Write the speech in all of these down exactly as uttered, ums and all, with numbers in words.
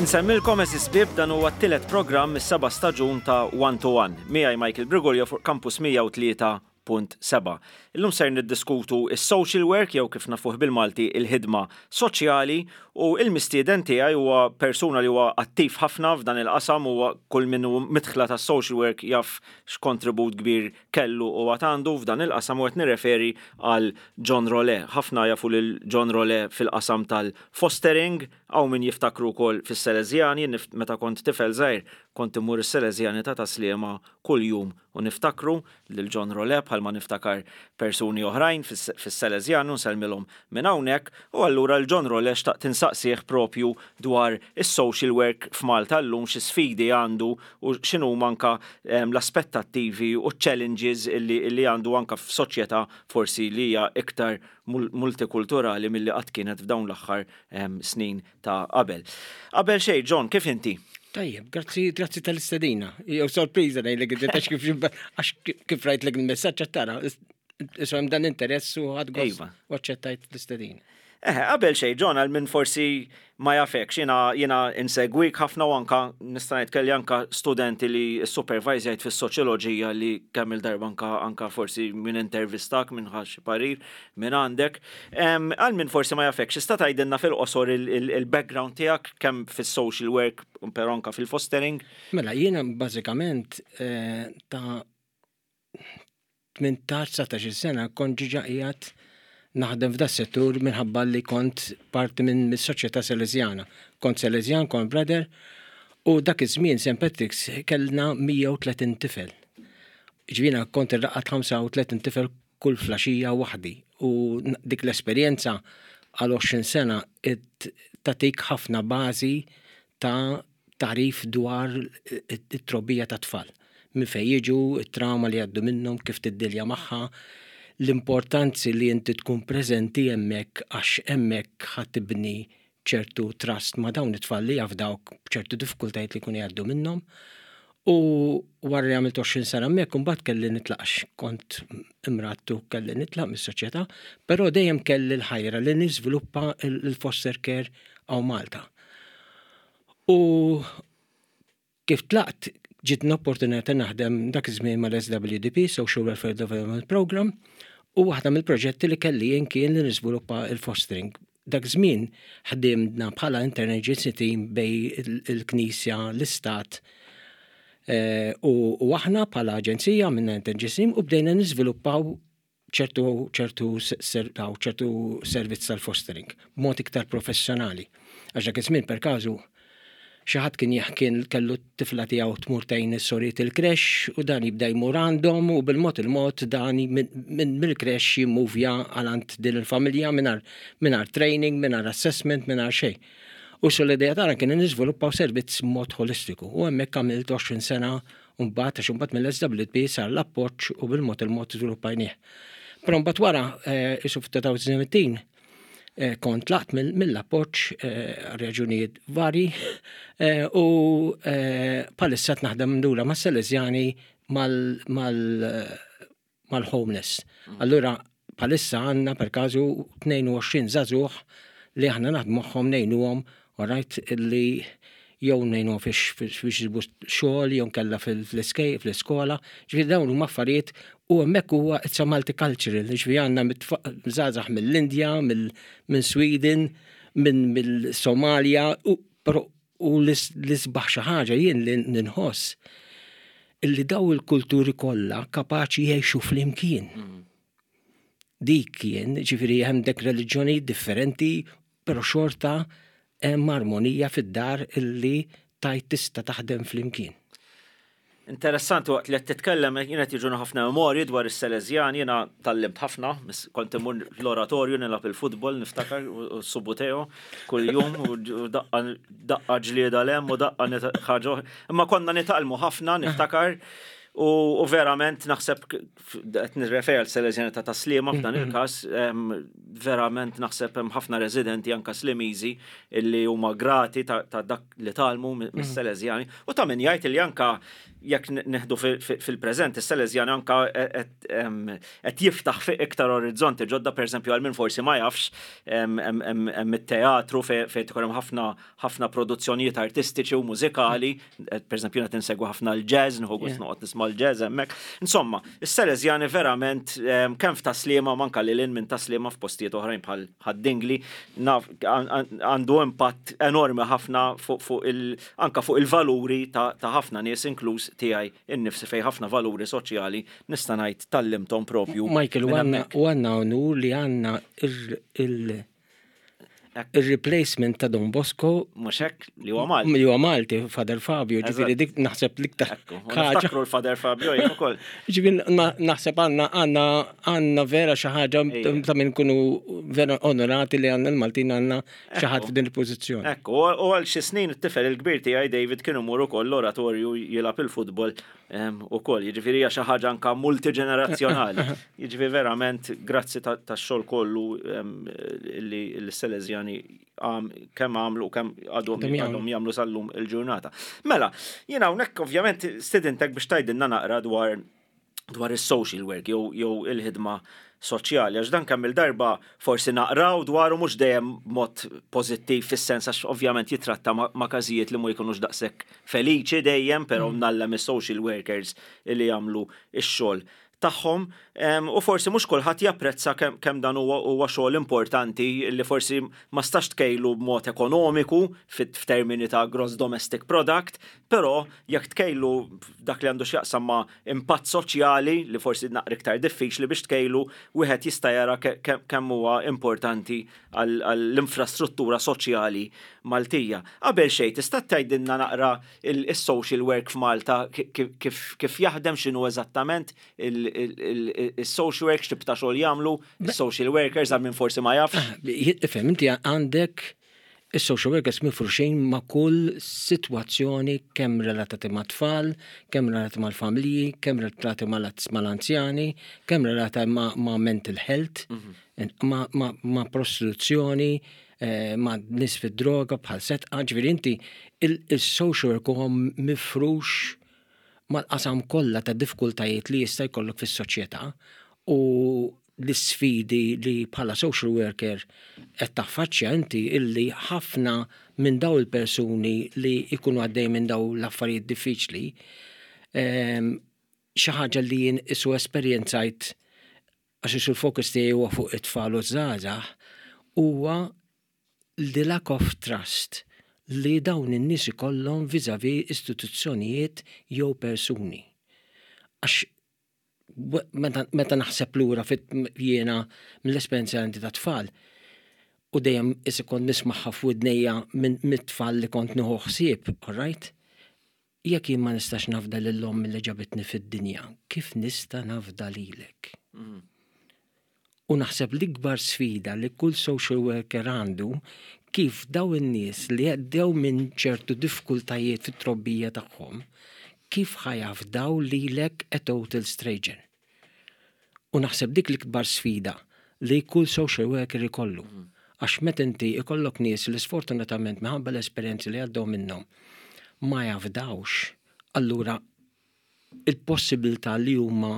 Insellmilkom, għeżież ħbieb, dan huwa t-tielet programm mis-seba' staġun ta' One to One. Miegħi Michael Brigolio fuq Campus mija u tlieta punt seba'. Illum ser niddiskutu is-social work, jew kif nafuh bil-Malti, il-ħidma soċjali, u il-mistieden tiegħi huwa persuna li huwa attiv ħafna f'dan il-qasam, huwa kull min hu midħla ta' social work jaf x'kontribut kbir kellu u għandu f'dan il-qasam, u qed nirreferi għal John Role. Ħafna jafu lil John Role fil-qasam tal-fostering, hawn min jiftakru wkoll fis-Salesjani. Meta kont tifel żgħir kont immur is-Salesjani ta' Tas-Sliema kuljum u niftakru lil John Role bħalma niftakar persuni oħrajn fis-Salesjani u nsellmilhom minn hawnhekk. U allura l-John Role xtaqt insaqsih propju dwar is-social work f'Malta llum, xi sfidi għandu u x'inhu anka l-aspettattivi u challenges illi, illi għandu anka f'soċjetà forsi li hija iktar multikulturali milli qatt kienet f'dawn l-aħħar snin ta' qabel. Qabel xejn, John, kif inti? Tajjeb, grazzi, grazzi tal-istedina. Jew sorpriża ngħidlek, għax kif għax kif rajtlek il-messaġġ tara, isma' dan interess u ħadt gost u aċċettajt l-istedina. Eh, qabel xejn, John, għal min forsi ma jafekx, jiena jiena insegwik ħafna u anka nista' ngħid kelli anka studenti li supervisajt fis-soċjoloġija li kemm il-darba anka anka forsi minn intervistak, minn ħa xi parir minn għandek. Għal min forsi ma jafekx, tista' tgħidilna fil-qosor il-background tiegħek kemm fis-social work però anka fil-fostering? Mela, jiena bażikament eh, ta' tmintax sena kont diġà qiegħed naħdem f'da settur minħabba li kont parti minn mis-soċjetà Salesjana. Kont Salesjan, kont brother, u dak iż-żmien Saint Patrick's kellna mija u tletin tifel. Ġifieri kont irraqqad ħamsa u tletin tifel kull filgħaxija waħdi u dik l-esperjenza għal għoxrin sena tatik ħafna bażi ta' tagħrif dwar it-trobbija ta' tfal. Minn fejn jiġu, it-trauma li għaddu minnhom, kif tiddilja magħha, l-importanzi li inti tkun preżenti hemmhekk, għax hemmhekk ħa tibni ċertu trust ma' dawn it-tfal li jafdawk b'ċertu diffikultajiet li jkunu jgħaddu minnhom. U wara li għamilt għoxrin sena hemmhekk, imbagħad kelli nitlaq, kont imradt u kelli nitlaq mis-soċjetà, però dejjem kelli l-ħajra li niżviluppa il-foster care hawn Malta. U kif tlaqt, ġiet l-opportunità naħdem dak iż-żmien mal-S W D P, Social Welfare Development Program, u waħda mill-proġetti li kelli jien kien li niżviluppa il-fostering. Dak żmien ħdimna bħala interagency team bejn il-Knisja, l-Istat, eh, u aħna bħala aġenzija minna interagency team u bdejna niżviluppaw ċertu ċertu ċertu servizz tal-fostering b'mod iktar professjonali. Għax dak iż-żmien, per każu, xi ħadd kien kien kellu t-tifla tiegħu tmur tgħin is-sorijiet il-creche u dan jibda jmur għandhom u bil-mod il-mod dan minn mill-creche jimmuvja għal din il-familja mingħajr training, mingħajr assessment, mingħajr xejn. U so l-idea tagħna kien niżviluppaw servizz mod holistiku u hemmhekk għamilt għoxrin sena u mbagħad, għax mbagħad mill-S W P sar l-appoġġ u bil-mod il-mod żviluppajnieh. Però mbagħad wara, isu f'elfejn u sbatax, Eh, kont tlaqt mill-appoġġ eh, raġunijiet vari eh, u bħalissa naħdem lura ma' Salesjani mal-homeless. Mm. Allura bħalissa għandna per każu tnejn u għoxrin żagħżugħ li aħna naħdmu magħhom, ngħinuhom, alright, li jew ngħinuhom biex jsibu xogħol jew kella fl-iskola. Ġifieri dawn huma affarijiet u hemmhekk huwa it's a multicultural, ġifieri għandna żgħażagħ mill-Indja, minn Sweden, minn mill-Somalia, u u l-isbaħ xi ħaġa jien li ninħoss illi daw il-kulturi kollha kapaċi jgħixu flimkien. Mm. Dik kien, ġifieri hemm dek reliġjoni differenti, però xorta hemm armonija fid-dar illi tajt tista' taħdem flimkien. Interessanti, waqt li qed titkellem jien qed jiġuna ħafna memorji dwar is-Salesjan, jiena tgħallimt ħafna, kont imur l-oratorju nilgħab il-futbol, niftakar, u Subbuteo kuljum u daqqa ġlieda lem u daqqa ħaġa. Imma konna nitgħallmu ħafna, niftakar. U verament naħseb, qed nirreferi għal Salesjani ta' Tas-Sliema f'dan mm-hmm. il-każ, verament naħseb hemm ħafna residenti, anka Slimiżi, illi huma grati ta' dak li tgħallmu mis-Salesjani. U ta' min jgħid li anka jekk neħdu fil-preżent, is-Salesjani anka qed jiftaħ fi iktar orizzonti ġodda. Pereżempju, għal min forsi ma jafx, hemm it-teatru fejn tkun hemm ħafna ħafna produzzjonijiet artistiċi u mużikali, pereżempju qed insegwu ħafna l-jazz, nieħu gost noqgħod nisma' l-jazz hemmhekk. Insomma, is-Salesjani verament kemm f'Tas-Sliema, manka lil minn Tas-Sliema f'postijiet oħrajn bħal Ħad-Dingli, għandu impatt enormi ħafna fuq il anka fuq il-valuri ta' ħafna nies, inkluż tiegħi innifsi, fej ħafna valuri soċjali nista' ngħid tgħallimthom propju. Michael, u għandna onur li għandna il- il-replacement ta' Don Bosco. Mhux hekk, li huwa Malti. Li huwa Malti, Father Fabio, ġifieri dik naħseb l-iktar. Niftakru l-Father Fabio jien ukoll. Ġifieri naħseb għandna għandna għandna vera xi ħaġa ta' min kunu vera onorati li għandna l-Maltin, għandna xi ħadd f'din il-pożizzjoni. Ekku, u għal xi snin it-tifel il-kbir tiegħi David kienu imur ukoll l-oratorju jilgħab il-futbol ukoll, jiġifieri hija xi ħaġa anka multiġenerazzjonali. Jiġifieri verament grazzi tax-xogħol kollu li l-Salesjani kemm għamlu u kemm għadhom jagħmlu sal-lum il-ġurnata. Mela, jiena hawnhekk ovvjament stidintek biex tgħidilna naqra dwar dwar is-social work jew jew il-ħidma soċjali, għax dan kemm il-darba forsi naqraw dwaru, mhux dejjem mod pożittiv, fis-sens għax ovvjament jitratta ma' każijiet li ma jkunux daqshekk feliċi dejjem, però mm. ngħallem is-social workers li jagħmlu ix-xogħol tagħhom u forsi mhux kulħadd japprezza kemm dan huwa xogħol importanti li forsi ma stax tkejlu b'mod ekonomiku f'termini ta' gross domestic product, però jekk tkejlu dak li għandu x'jaqsam ma' impatt soċjali, li forsi naqra iktar diffiċli biex tkejlu, wieħed jista' jara kemm huwa importanti għall-infrastruttura soċjali Maltija. Qabel xejn, tista' tgħidilna naqra il-social work f'Malta kif jaħdem, x'inhu eżattament il-social work, x'tip ta' xogħol jagħmlu il-social workers, għal min forsi ma jafx? Ah, ifhem, inti għandek is-social workers mifruxin ma' kull sitwazzjoni, kemm relatati ma' tfal, kemm relatati mal-familji, kemm relatati mal-anzjani, kemm relatati ma' mental health, mhm. ma' prostituzzjoni, eh, ma' nies fid-droga bħal Sedqa. Ġifieri inti il-social work huwa mifrux mal-qasam kollha ta' diffikultajiet li jista' jkollok fis-soċjetà, u l-sfidi li bħala social worker qed taffaċċja inti illi ħafna minn daw il-persuni li jkunu għaddej minn daw l-affarijiet diffiċli, ehm, xi ħaġa li jien isu esperjenzajt, għax isu l-fokus tiegħi huwa fuq it-tfal u żgħażagħ, huwa the lack of trust li dawn in-nies ikollhom vis-à-vis istituzzjonijiet jew persuni. Għax meta naħseb lura fit jiena mill-esperjenza għandi ta' tfal, u dejjem isi kont nismagħha f'widnejja minn mit-tfal li kont nieħu ħsieb, all right? Jekk jien ma nistax nafda lil omm li ġabitni fid-dinja, kif nista' nafda lilek? Mm. U naħseb l-ikbar sfida li kull social worker għandu, kif daw in-nies li għaddew minn ċertu diffikultajiet fit-trobbija tagħhom, kif ħa jafdaw lilek, a total stranger? U naħseb dik l-ikbar sfida li kull social worker ikollu. Għax meta inti ikollok nies li sfortunatament minħabba l-esperjenzi li għaddew minnhom ma jafdawx, allura il-possibilità li huma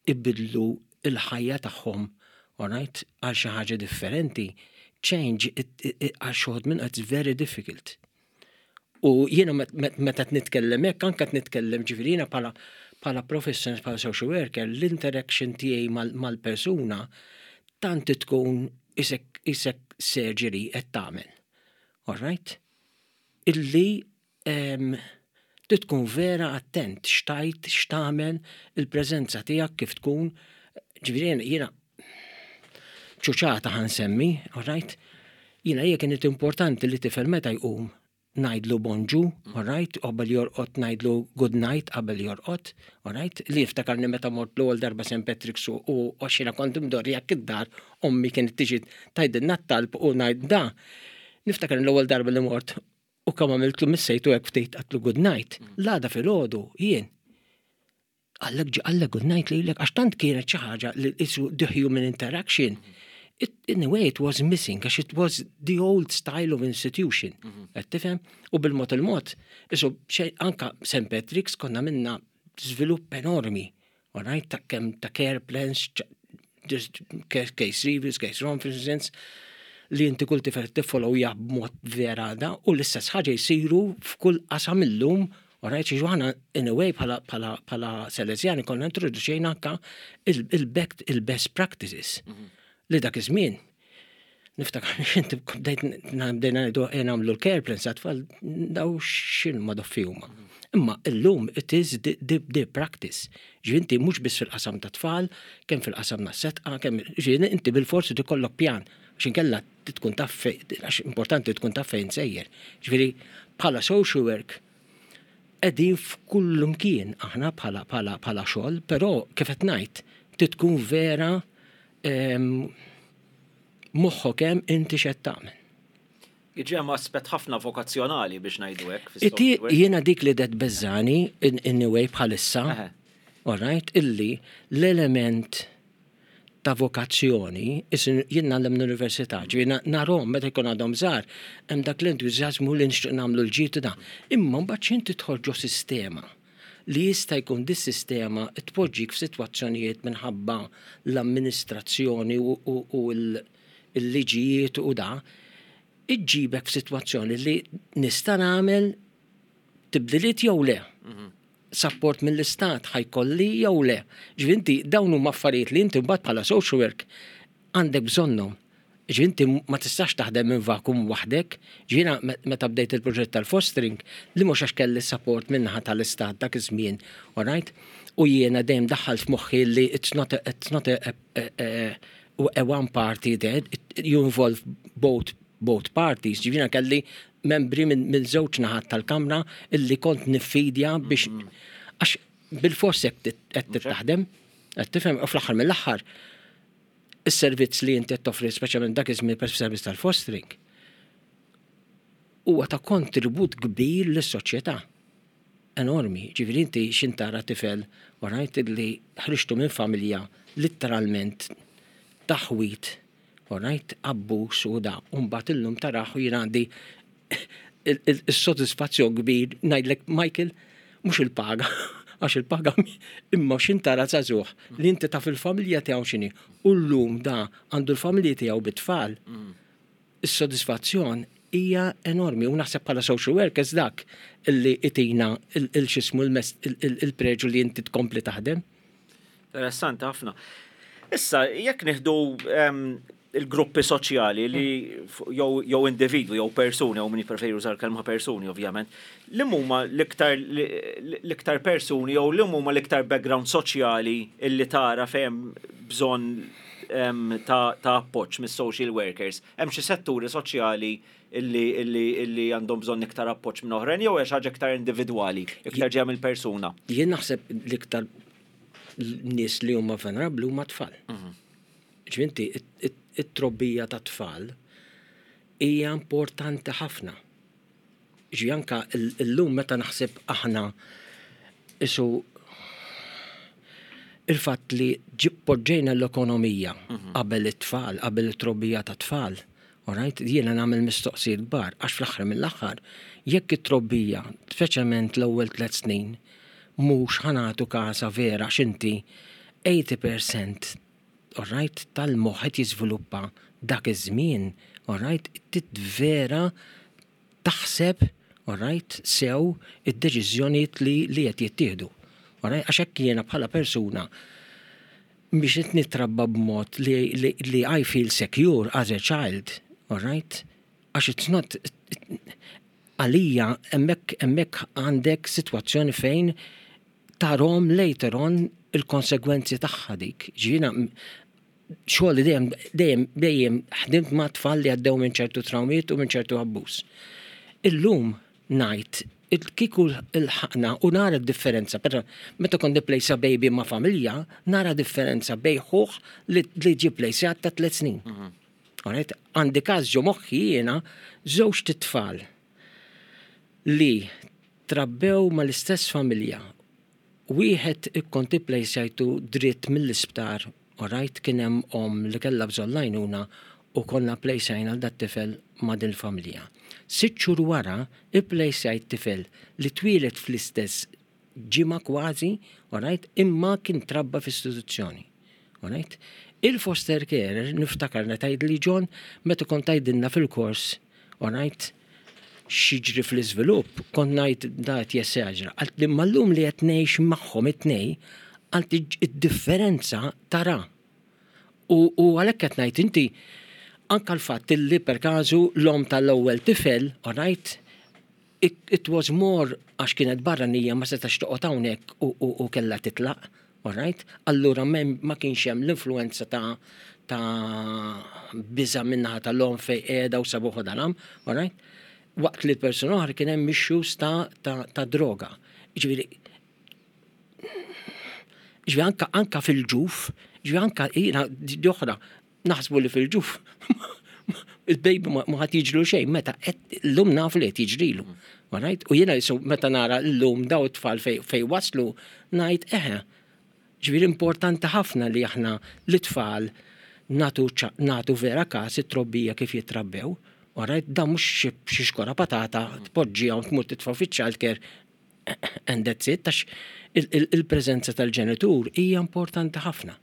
ibidlu il-ħajja tagħhom, alright, għal xi ħaġa differenti, change għal xi wħud minn it's very difficult. U jiena meta nitkellem hekk, anke nitkellem, ġifieri jiena bħala bħala professionist, bħala social worker, l-interaction tiegħi mal-persuna tant tkun isek isek surgery qed tagħmel. All right? Illi trid tkun vera attent x'tgħid, x'tagħmel, il-preżenza tiegħek kif tkun. Ġifieri jiena ċuċata ħa nsemmi, all right? Jiena hija kienet importanti li tifel meta jqum ngħidlu bonġu, all right, qabel jorqod ngħidlu good night qabel jorqod, all right, li jiftakarni meta mort l-ewwel darba Saint Patrick's u għax kont imdorri jekk id-dar ommi kienet tiġi tgħidilna t-talb u ngħid da. Niftakar l-ewwel darba li mort u kemm għamiltlu missejtu hekk ftit, għedtlu good night. L-għada filgħodu jien Qallek ġi qallek good night lilek, għax tant kienet xi ħaġa li isu the human interaction. It, in a way it was missing, għax it was the old style of institution. Qed tifhem? U bil-mod il-mod, isu xej anka Saint Patrick's konna minna żvilupp enormi. All right, ta' kemm ta' care plans, just case reviews, case conferences, li inti kull tifel tiffollowja b'mod vera da, u l-istess ħaġa jsiru f'kull qasam illum. Alright, ġiġu aħna in a way bħala, bħala, bħala Salesjani konna introduċejna anka il-best practices li dak iż-żmien. Niftakar inti bdejt bdejna ngħidu nagħmlu l-care plans għat-tfal, daw x'in ma doffi huma. Imma illum it is the, the, the practice. Ġifieri mhux biss fil-qasam ta' tfal, kemm fil-qasam ta' setqa, kemm ġifieri inti bil-forsi tikollok pjan għax inkella tkun taf għax importanti tkun taf fejn sejjer. Ġifieri bħala social work qegħdin f'kull mkien aħna bħala bħala bħala xogħol, però kif qed ngħid tkun vera moħħok hemm inti x'qed tagħmel. Iġi hemm aspett ħafna vokazzjonali biex ngħidu hekk. Iti jiena dik li det beżani in, in a way bħalissa, all right, illi l-element ta' vokazzjoni, jien ngħallem l-università, ġifieri narahom meta jkun għadhom żgħar, hemm dak l-entużjażmu li nixtieq nagħmlu l-ġid da. Imma mbagħad inti tidħol ġo sistema li jista' jkun dis-sistema tpoġġik f'sitwazzjonijiet minħabba l-amministrazzjoni u l-liġijiet u da, iġġibek f'sitwazzjoni li nista' nagħmel tibdiliet jew le. Support mill-istat ħa jkolli jew le. Ġifieri dawn huma affarijiet li inti mbagħad bħala social work għandek bżonnhom. Ġifieri ma tistax taħdem minn vakum waħdek. Ġiena meta bdejt il-proġett tal-fostering li mhux għax kelli support minnaħa tal-istat dak iż-żmien, alright? U jiena dejjem daħħalt f'moħħi li it's not a, it's not a, a, a, a one party there, you involve both both parties. Ġifieri kelli membri minn min żewġ naħat tal-kamra illi kont niffidja biex għax bil-fors qed taħdem, qed tifhem, u fl-aħħar mill-aħħar is-servizz li inti qed toffri, speċjalment dak iż-żmien per servizz tal-fostering, huwa ta' kontribut kbir lis-soċjetà. Enormi. Ġifieri inti x'intara tifel, alright, li ħriġtu minn familja literalment taħwit, alright, abbuż u da, u mbagħad illum tarah u jien għandi il-sodisfazzjon kbir ngħidlek, Michael, mhux il-paga, għax il-paga, imma x'intara żagħżugħ li inti taf il-familja tiegħu x'inhi u llum da għandu l-familja tiegħu bit-tfal. Is-sodisfazzjon hija enormi u naħseb bħala social workers dak illi itina il-xismu il-preġu li inti tkompli taħdem. Interessanti ħafna. Issa, jekk nieħdu il-gruppi soċjali li jew individwi jew persuni, jew min jippreferi jużar kelma persuni ovvjament, li huma l-iktar l-iktar persuni jew li huma l-iktar background soċjali illi tara fejn bżonn ta' appoġġ mis-social workers? Hemm xi setturi soċjali illi illi illi għandhom bżonn iktar appoġġ minn oħrajn jew hija xi ħaġa iktar individwali, iktar ġejja mill-persuna? Jien naħseb l-iktar nies li huma vulnerabbli huma tfal. Ġifieri it-trobbija ta' tfal hija importanti ħafna. Ġi anka illum meta naħseb aħna isu il-fatt li poġġejna l-ekonomija qabel it-tfal, qabel it-trobbija ta' tfal, alright, jiena nagħmel mistoqsijiet kbar, għax fl-aħħar mill-aħħar, jekk it-trobbija, speċjalment l-ewwel tliet snin, mhux ħa nagħtu kasha vera x'inti tmenin fil-mija, alright, tal-moħħ qed jiżviluppa dak iż-żmien, alright, vera taħseb, alright, sew id-deċiżjonijiet li li qed jittieħdu. Alright, għax hekk jiena bħala persuna biex qed nitrabba b'mod li, li, li I feel secure as a child, alright? Għax it's not għalija hemmhekk hemmhekk għandek sitwazzjoni fejn tarahom later on il-konsegwenzi tagħha dik. Ġiena xogħol dejjem dejjem dejjem ħdimt ma' tfal li għaddew minn ċertu trawmiet u minn ċertu abbuż. Illum ngħid kieku il-ħakna u nara differenza, però meta kont nipplejsa baby ma' familja, nara differenza bejn ħuħ li li ġie pplejsjat ta' tliet snin. Alright? Għandi każ ġo moħħi jiena żewġ tfal li trabbew mal-istess familja. Wieħed kont ipplejsjajtu dritt mill-isptar, alright, kien hemm om li kellha bżonn l-għajnuna u konna plejsjajna l dat-tifel ma' din il-familja. Sitt xhur wara ipplejsjajt tifel li twieled fl-istess ġimgħa kważi, alright, imma kien trabba f'istituzzjoni. Alright? Il-foster carer, niftakar tgħid li John, meta kont tgħidilna fil-kors, alright, x'jiġri fl-iżvilupp, kont ngħid da qed jesagera. Għalt li mal-lum li qed ngħix magħhom it-tnej, għalt id-differenza tara. U, u għalhekk qed ngħid inti anka l-fatt li per każu l-om tal-ewwel tifel, alright, it, it was more għax kienet barranija, ma setax toqgħod hawnhekk u, u, u kellha titlaq, alright? Allura mem, ma kienx hemm l-influenza ta' ta' biża minnaħa tal-om fej qiegħda u sabuħu dalam, alright? Waqt li l-persuna oħra kien hemm issues ta', ta, ta' droga. Ġifieri, ġifieri anka, anka fil-ġuf, ġifieri anka jiena di oħra, naħsbu li fil-ġuf il-baby ma ma ħadd jiġru xejn, meta qed llum nafu li qed jiġrilu. Alright? U jiena jisu meta nara llum daw it-tfal fej, fej waslu, ngħid eħe, ġifieri importanti ħafna li aħna l-tfal natu, ċa- natu vera kas it-trobbija kif jitrabbew. Alright, da mhux xi xi xkora patata tpoġġiha u tmur titfa' fiċ-childcare and that's it, għax il-preżenza tal-ġenitur hija importanti ħafna.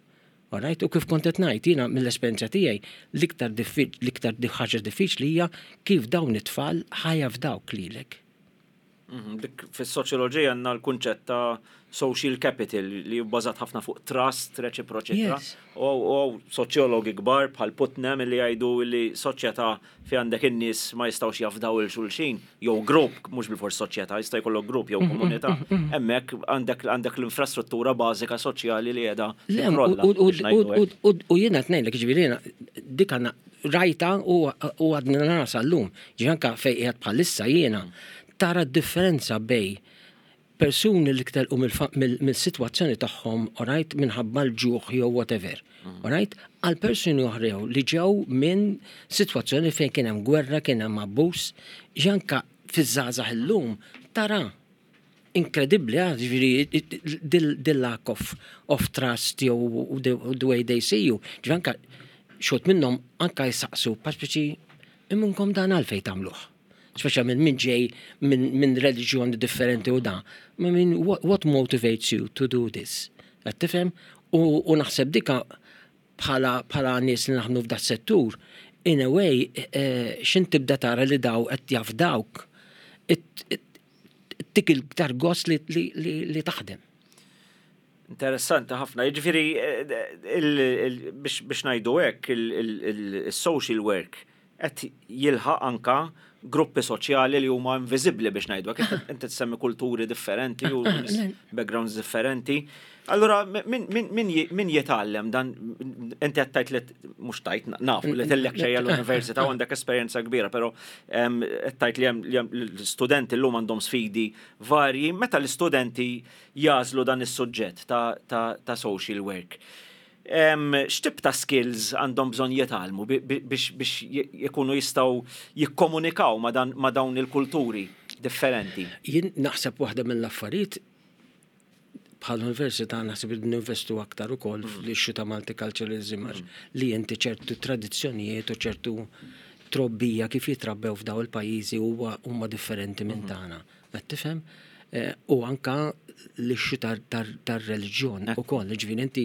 Alright, u kif kont qed ngħid, jiena mill-esperjenza tiegħi l-iktar l-iktar ħaġa diffiċli hija kif dawn it-tfal ħa jafdawk lilek. Mhm, dik fis-soċjoloġija għandna l-kunċett ta' social capital li bbażat ħafna fuq trust, reċiproċità. U soċjologi kbar bħal Putnam li jgħidu li soċjetà fi għandek in-nies ma jistgħux jafdaw il xulxin, jew grupp, mhux bil-fors soċjetà, jista' jkollok grupp jew mm, mm, komunità. Mm, hemmhekk għandek għandek l-infrastruttura bażika soċjali li qiegħda. U jiena tnejlek, ġifieri dik għandna rajta u għadna nara sal-lum. Ġifieri anka fejn qiegħed bħalissa jiena tara differenza bejn persuni li telqu mill-situazzjoni tagħhom, alright, minħabba l-ġuħ jew whatever, mm. alright, għal persuni oħra li ġew minn situazzjoni fejn kien hemm gwerra, kien hemm abbuż, anka fiż-żgħażagħ illum tara inkredibbli, ġifieri dil-lack of, of trust jew the way they see you. Ġifieri anka xot minnhom anka jisaqsu, paċ immunkom dan għalfejn tagħmluh, speċa minn min ġej minn min reliġjoni differenti u da. Ma min, what, what motivates you to do this? Qed tifhem? U, u naħseb dika bħala bħala nies li naħdmu f'da settur, in a way, eh, xin tibda tara li daw qed jafdawk, tik il-ktar gost li, li, li, li taħdem. Interessanti ħafna. Jiġifieri eh, biex ngħidu hekk il-social work qed jilħaq anka gruppi soċjali li huma inviżibbli, biex ngħidu. Inti tsemmi kulturi differenti u backgrounds differenti. Allura, min jitgħallem dan, inti qed tgħid li, mhux tajt, nafu li tillekċerja l-università u għandek esperjenza kbira, però qed tgħid li hemm l-studenti llum għandhom sfidi varji. Meta l-istudenti jagħżlu dan is-suġġett ta' social work, x'tip ta' skills għandhom bżonn jitgħallmu biex jkunu jistgħu jikkomunikaw ma' dawn il-kulturi differenti? Jien naħseb waħda mill-affarijiet, bħal università naħseb li ninvestu aktar ukoll mm. fl-issue ta' multiculturalism mm. li inti ċertu tradizzjonijiet u ċertu trobbija kif jitrabbew f'daw il-pajjiżi huwa huma differenti minn mm. tagħna. Qed tifhem? Eh, u anka l-issue tar-reliġjon ukoll, ġifieri inti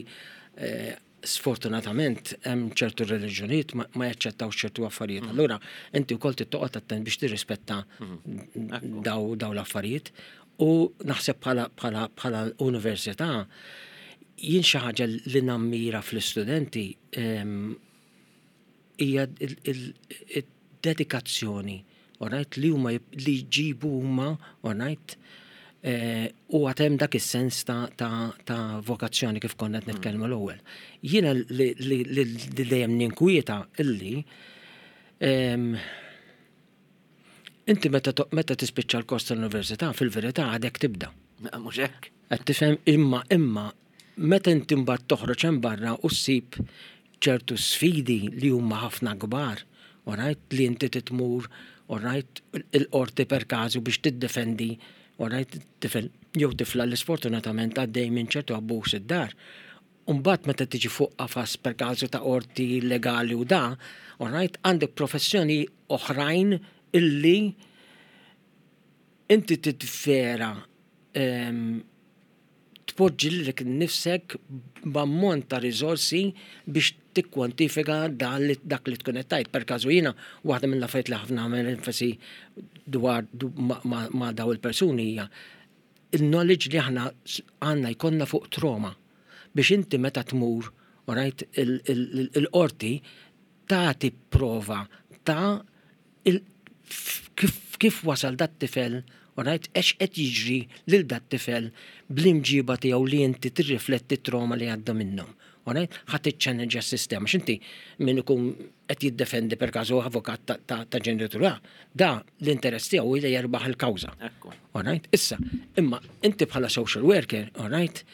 eh, sfortunatament hemm ċertu reliġjonijiet ma jaċċettaw ċertu affarijiet. Mm. Allura inti wkoll tittoqgħod attent biex tirrispetta mm. daw daw l-affarijiet. U naħseb bħala bħala bħala università, jien xi ħaġa li nammira fl-istudenti hija il-dedikazzjoni, alright, li huma li jġibu huma, alright, eh, u għatem dak is-sens ta', ta, ta vokazzjoni kif konna qed nitkellmu l-ewwel. Jiena li, li, li, li dejjem ninkwieta illi inti meta meta tispiċċa l-kors tal-università, fil-verità għadek tibda. Mhux hekk. Qed tifhem? Imma imma meta inti mbagħad toħroġ hemm barra u ssib ċertu sfidi li huma ħafna kbar, alright, li inti titmur, alright, il-qorti per każu biex tiddefendi Alright, tifel jew tifla li sfortunatament għaddej minn ċertu abbuż id-dar. Umbagħad meta tiġi fuq qafas per każu ta' qorti legali u da, alright, għandek professjoni oħrajn illi inti titvera em, tpoġġi lilek nifsek b'ammont ta' riżorsi biex tikkwantifika dan li- dak li tkun qed tgħid. Per każu jiena waħda mill-affarijiet li ħafna nagħmel enfasi dwar du- ma- ma ma' daw il-persuni hija il-knowledge li aħna s- għandna jkollna fuq trauma biex inti meta tmur, alright, il-qorti tagħti prova ta' il- kif, kif wasal dat tifel, alright, ex qed jiġri lil dat tifel bl-imġiba tiegħu li inti tirrifletti trauma li għadda minnhom. Alright, ħa tiċċellenġja s-sistema. X'inti min ikun qed jiddefendi per każu avukat ta', ta, ta' ġenitura, da l-interess tiegħu li jerbaħ il-kawża. Ekku. Alright, issa, imma inti bħala social worker, alright,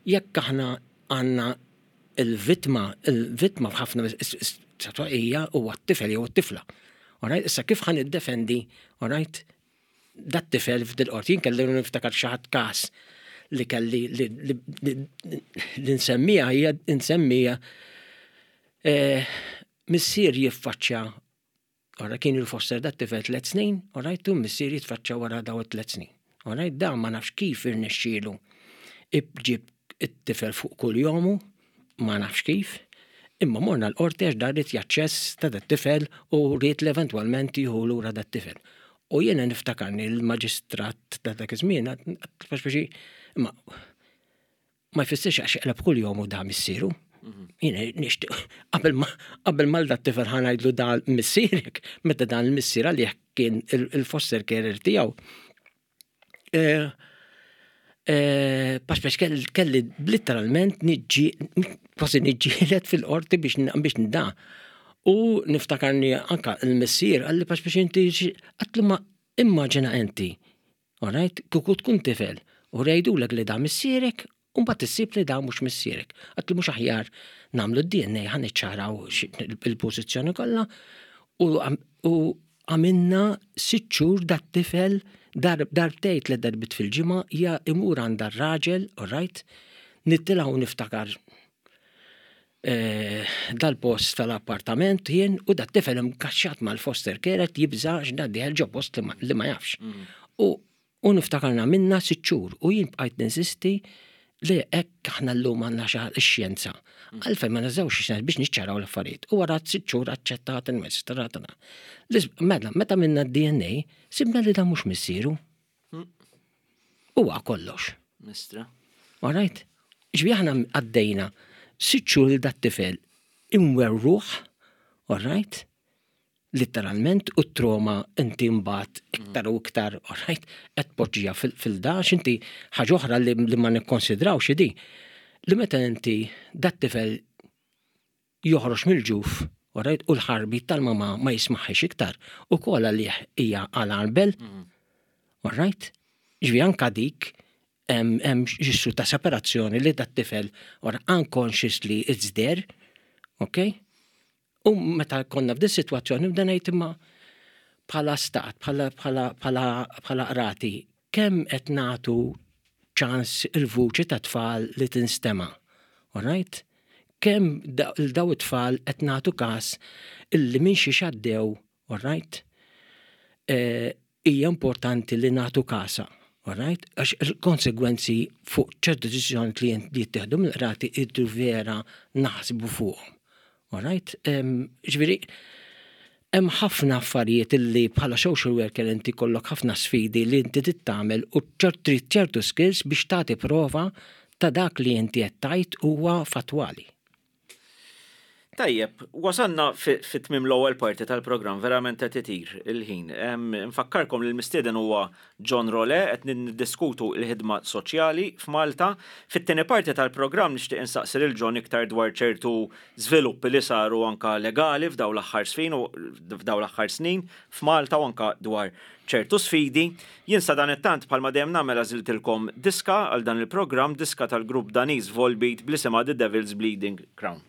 jekk aħna għandna il-vittma, il-vittma f'ħafna hija huwa t-tifel jew t-tifla. Alright, issa kif ħa niddefendi, alright, dat tifel f'dil qorti, jien kelli niftakar xi ħadd każ li kelli li, li, li, li nsemmija hija nsemmija eh, missier jiffaċċja. Ora kien il-foster dat tifel tliet snin, alright, tu missier jitfaċċa wara daw it-tliet snin. Alright, da ma nafx kif irnexxielu iġib it-tifel fuq kull jomu, ma nafx kif, imma morna l-qorti għax da ried jaċċess ta' dat tifel u ried l-eventwalment jieħu lura dat tifel. U jiena niftakarni l-maġistrat ta' dak iż-żmien, għat- imma ma jfissirx għax qleb kull jom u da missieru. Jiena nixtieq qabel ma qabel ma dat tifel ħa ngħidlu da missierek, meta dan il-missier għalih kien il-foster carer tiegħu. Eh, eh, Pax kelli kelli literalment niġġi kważi niġġielet fil-qorti biex biex nda. U niftakarni anka il-missier għalli pax biex inti għatlu ma immaġina inti. Alright, kuku tkun tifel u jgħidulek li da missierek u mbagħad issib li da mhux missierek. Għatlu mhux aħjar nagħmlu d-D N A ħa niċċaraw il-pożizzjoni kollha u u għamilna sitt xhur dat tifel dar darbtejn tliet darbit fil-ġimgħa ja imur għand raġel, alright, nittilgħu niftakar eh, dal-post tal-appartament jien u dat tifel imkaxxat mal-foster care qed jibża' x'da dieħel ġo post li ma- li ma jafx. U u niftakarna minna sitt xhur u jien bqajt ninsisti li hekk aħna llum għandna xi x-xjenza. Għalfejn ma nużawx ix-xjenza biex niċċaraw l-affarijiet. U wara sitt xhur aċċettat il-maġistrat. Mela, meta minna d-D N A, sibna li da mhux missieru. Huwa kollox. Mistra. All right? Ġbi aħna għaddejna sitt xhur li dat tifel imwerruħ, all right? Literalment, u trauma inti mbagħad iktar u iktar, all right? Qed poġġija fil-dax, inti ħaġa oħra li, li ma nikkonsidrawx di. Li meta inti dat tifel joħroġ mill-ġuf, all right? U l-ħarbi tal-mama ma jismaħħiex iktar, u kolla li hija alarm bell, all right? Ġvi anka dik hemm hemm ġissu ta' separazzjoni li dat tifel or unconsciously it's there, ok? U meta konna f'dis sitwazzjoni bda ngħid imma bħala stat, bħala bħala bħala bħala qrati, kemm qed nagħtu ċans il-vuċi ta' tfal li tinstema', all right? Kemm da- daw it-tfal qed nagħtu każ illi minn xi xaddew, all right? Eh, hija importanti li nagħtu kasa, all right? Għax il-konsegwenzi fuq ċertu deċiżjoni li li jittieħdu mill-qrati iddu vera naħsbu fuqhom. All right? Em, Ġifieri, hemm ħafna affarijiet illi bħala social worker inti kollok ħafna sfidi li inti trid tagħmel u ċertu ċertu skills biex tagħti prova ta' dak li inti qed tgħid huwa fattwali. Tajjeb, wasanna fi fi tmim l-ewwel parti tal-programm, verament qed itir il-ħin. Em, Nfakkarkom li l-mistieden huwa John Role qed niddiskutu l-ħidma soċjali f'Malta. Fit-tieni parti tal-programm nixtieq insaqsi lil John iktar dwar ċertu żviluppi li saru anka legali f'daw l-aħħar snin u f'daw l-aħħar snin f'Malta u anka dwar ċertu sfidi. Jien sa dan it-tant bħalma dejjem nagħmel għażiltilkom diska għal dan il-programm, diska tal-grupp Daniż Volbeat bl-isimha The Devil's Bleeding Crown.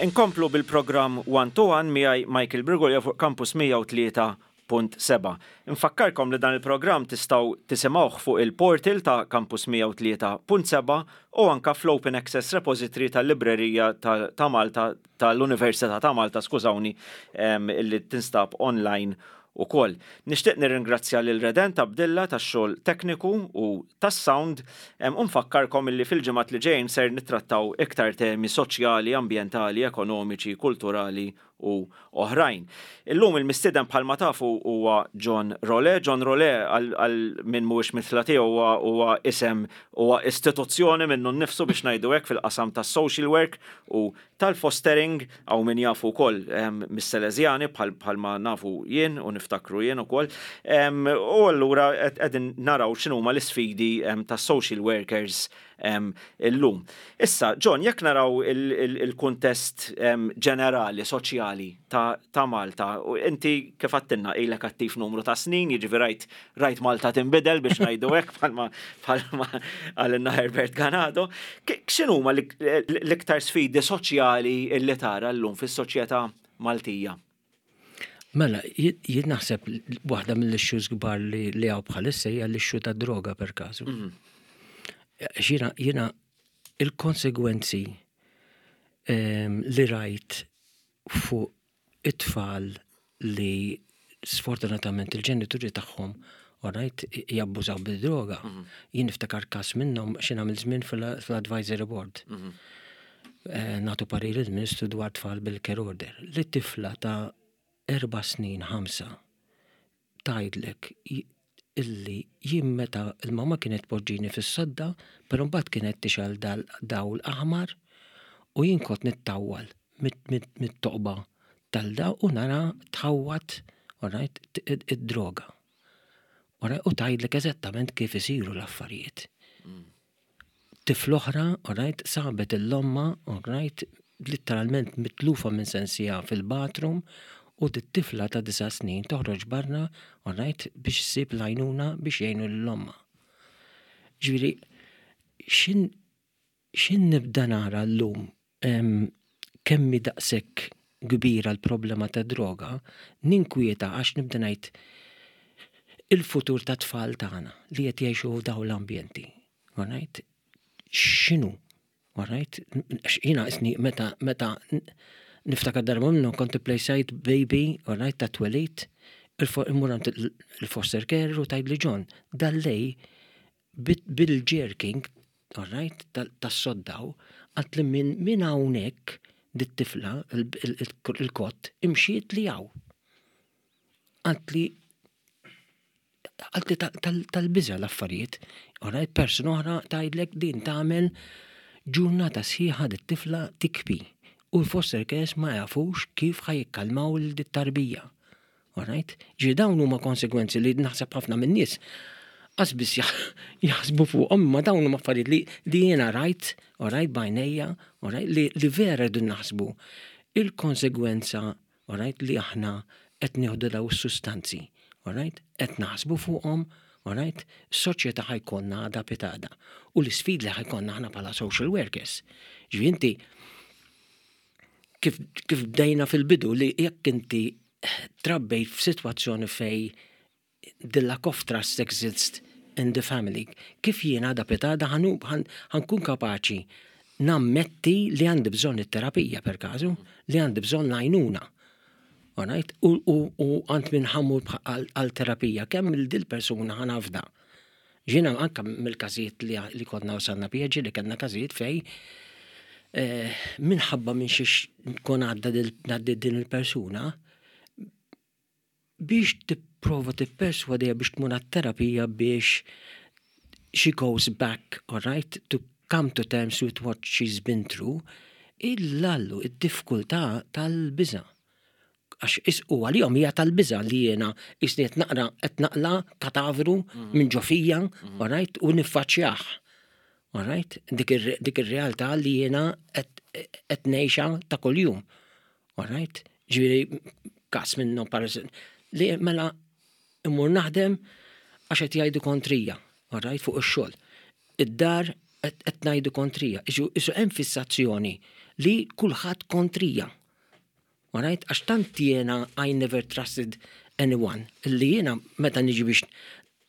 Inkomplu bil-programm One to One miegħi Michael Brigolja fuq Campus mija u tlieta punt seba'. Infakkarkom li dan il-programm tistgħu tisimgħuh fuq il-portal ta' Campus mija u tlieta punt seba' u anka fl-Open Access Repository tal-Librerija ta' Malta, tal-Università ta' Malta, skużawni, illi tinstab online ukoll. Nixtieq nirringrazzja lil Redent Abdilla tax-xogħol tekniku u tas-sound u nfakkarkom illi fil-ġimgħat li ġejjin ser nittrattaw iktar temi soċjali, ambjentali, ekonomiċi, kulturali u oħrajn. Illum il-mistieden, bħalma tafu, huwa John Role. John Role, għal min mhuwiex mitla tiegħu, huwa isem, huwa istituzzjoni minnu nnifsu, biex ngħidu hekk, fil-qasam tas-social work u tal-fostering, għaw min jafu wkoll mis-Salesjani, bħalma nafu jien u niftakru jien ukoll. U allura qegħdin naraw x'inhuma l-isfidi tas-social workers illum. Issa, John, jekk naraw il-kuntest ġenerali, soċjali ta' Malta, u inti kif għedtilna ilek attiv numru ta' snin, jiġifieri rajt rajt Malta tinbidel, biex ngħidu hekk, bħalma bħalma qalilna Herbert Ganado. X'inhuma l-iktar sfidi soċjali illi tara llum fis-soċjetà Maltija? Mela, jien naħseb waħda mill-issues kbar li li hawn bħalissa hija l-issue ta' droga, per każu. Mhm. Jiena jiena il-konsegwenzi ehm, li rajt fuq it-tfal li sfortunatament il-ġenituri tagħhom, alright, jabbużaw bil-droga. Mhm. Jien niftakar każ minnhom xi nagħmel żmien fil-advisory board. Mhm. Eh, nagħtu parir il-Ministru dwar tfal bil-care order. Li tifla ta' erba' snin, ħamsa, tgħidlek illi jien meta il-mama kienet poġġini fis-sodda, però mbagħad kienet tixgħel dawl aħmar u jien kont nittawwal mit-toqba tal-da u nara tħawwat, alright, id-droga. U tgħidlek eżattament kif isiru l-affarijiet. Tifla oħra, alright, sabet 'l ommha, alright, literalment mitlufa minn sensija fil-bathroom u t-tifla ta' disa' snin toħroġ barra, alright, biex ssib l-għajnuna biex jgħinu 'l ommha. Ġifieri, xin xin nibda nara l-lum kemm hi daqshekk kbira l-problema ta' droga, ninkwieta għax nibda ngħid il-futur ta' tfal tagħna li qed jgħixu f'dawn l-ambjenti. Alright? X'inhu? Alright? Jiena isni meta meta niftakar darba minnhom kont place baby, alright, ta' twelid, immur il-foster care u tgħidli, "John, dal-lej bil-jerking, alright, tas-soddaw," qaltli, minn min hawnhekk dit-tifla il-cot imxiet li hawn. Qaltli qaltli tal-biża l-affarijiet. Alright, persuna oħra tgħidlek din tagħmel ġurnata sħiħa dit-tifla tibki. U l-foster cares ma jafux kif ħa jikkalmaw l-tarbija. Alright? Ġi dawn huma konsegwenzi li naħseb ħafna minn nies qas biss jaħsbu fuqhom, ma dawn huma affarijiet li, li jiena rajt, alright, b'għajnejja, alright, li, li vera rridu naħsbu il-konsegwenza, alright, li aħna qed nieħdu daw is-sustanzi, alright, qed naħsbu fuqhom, alright, soċjetà ħa jkollna għada pitgħada. U l-isfid li ħa jkollna aħna bħala social workers. Ġifieri inti kif, kif bdejna fil-bidu li jekk inti trabbejt f'sitwazzjoni fej the lack of trust exists in the family, kif jiena għada pitgħada ħa nkun kapaċi nammetti li għandi bżonn it-terapija, per każu, li għandi bżonn l-għajnuna? Alright? U, u, u għand min ħa mmur għal terapija, kemm il dil persuna ħa nafda? Ġina anka mill-każijiet li, li konna wasalna pieġi li kellna każijiet fej eh, minħabba minn xiex kon għadda din il-persuna biex tipprova tipperswadija biex tmur terapija biex she goes back, all right, to come to terms with what she's been through, illallu, id-diffikultà tal-biża. Għax is u għalihom hija tal-biża li jiena isni qed naqra qed naqla katavru mm. minn ġo fija, mm. all right, u niffaċċjah. All right? Dik ir-realtà li jiena qed ngħixha ta' kuljum. All right? Ġifieri każ minnhom, par li mela immur naħdem għax qed jgħidu kontrija, all right, fuq ix-xogħol. Id-dar Qed ngħidu kontrija. Isu hemm fissazzjoni li kulħadd kontrija. Alright? Għax tant jiena I never trusted anyone. Li jiena meta niġi biex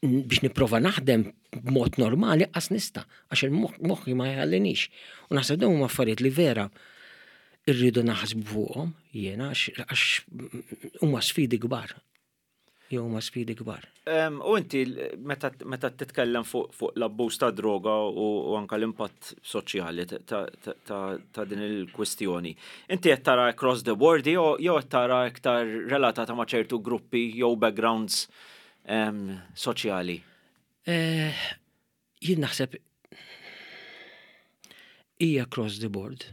biex nipprova naħdem b'mod normali qas nista', għax il-moħħi ma jħallinix. U naħseb dawn huma affarijiet li vera irridu naħsbu fuqhom jiena, għax huma sfidi kbar. Jew huma sfidi kbar. U inti meta titkellem fuq l-abbuż ta' droga u anka l-impatt soċjali ta' din il-kwistjoni, inti qed tara across the board jew qed tara iktar relatata ma' ċertu gruppi jew backgrounds soċjali? Eh, jien naħseb hija across the board.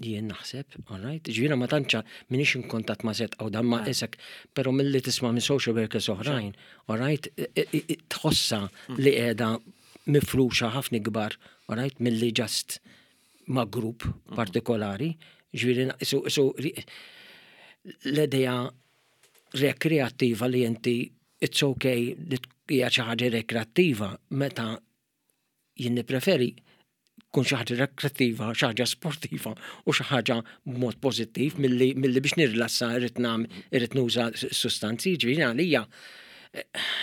Jien naħseb, all right, ġifieri ma tantx minix in kuntatt ma set dan ma isek, pero milli tisma' minn social workers oħrajn, all right, tħossa mm. li qiegħda mifruxa ħafna kbar, all right, milli just ma' grupp mm. partikolari, ġifieri su l-idea rekreattiva li inti it's okay li hija xi ħaġa rekreattiva, meta jien nippreferi kun xi ħaġa rekreattiva, xi ħaġa sportiva u xi ħaġa b'mod pożittiv milli milli biex nirrilassa irrid nam irrid nuża sustanzi. Ġifieri għalija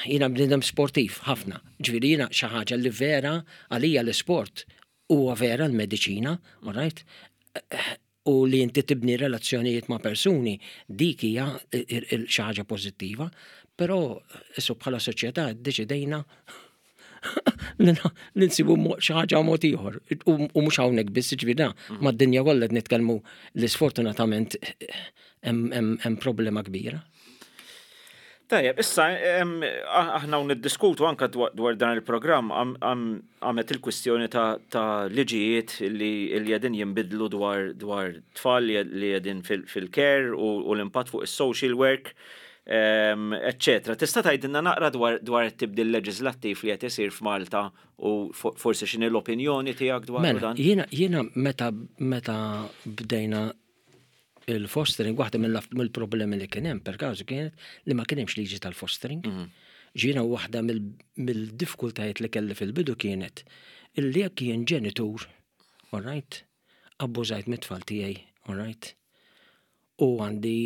jiena bniedem sportiv ħafna. Ġifieri jiena xi ħaġa li vera għalija l-isport huwa vera l-mediċina, all right? U li inti tibni relazzjonijiet ma' persuni, dik hija xi ħaġa pożittiva, però issu bħala soċjetà ddeċidejna li nsibu xi ħaġa mod ieħor. U mhux hawnhekk biss, ġifieri mm. mad-dinja kollha qed nitkellmu li sfortunatament hemm problema kbira. Tajjeb, issa aħna niddiskutu anka dwar dan il-programm għamet il-kwistjoni ta' liġijiet li qegħdin jinbidlu dwar dwar tfal li qegħdin fil-care u l-impatt fuq is-social work, eccetera. Tista' tgħidilna naqra dwar it-tibdil leġislattiv li qed isir f'Malta u forsi x'inhi l-opinjoni tiegħek dwar mela, dan? Jiena jiena meta meta bdejna il-fostering, waħda mill-problemi li kien hemm per każu kienet li ma kien hemmx liġi tal-fostering. Mhm. Ġiena waħda mill-diffikultajiet li kelli fil-bidu kienet illi jekk jien ġenitur, all right, abbużajt mit-tfal tiegħi, all right, u għandi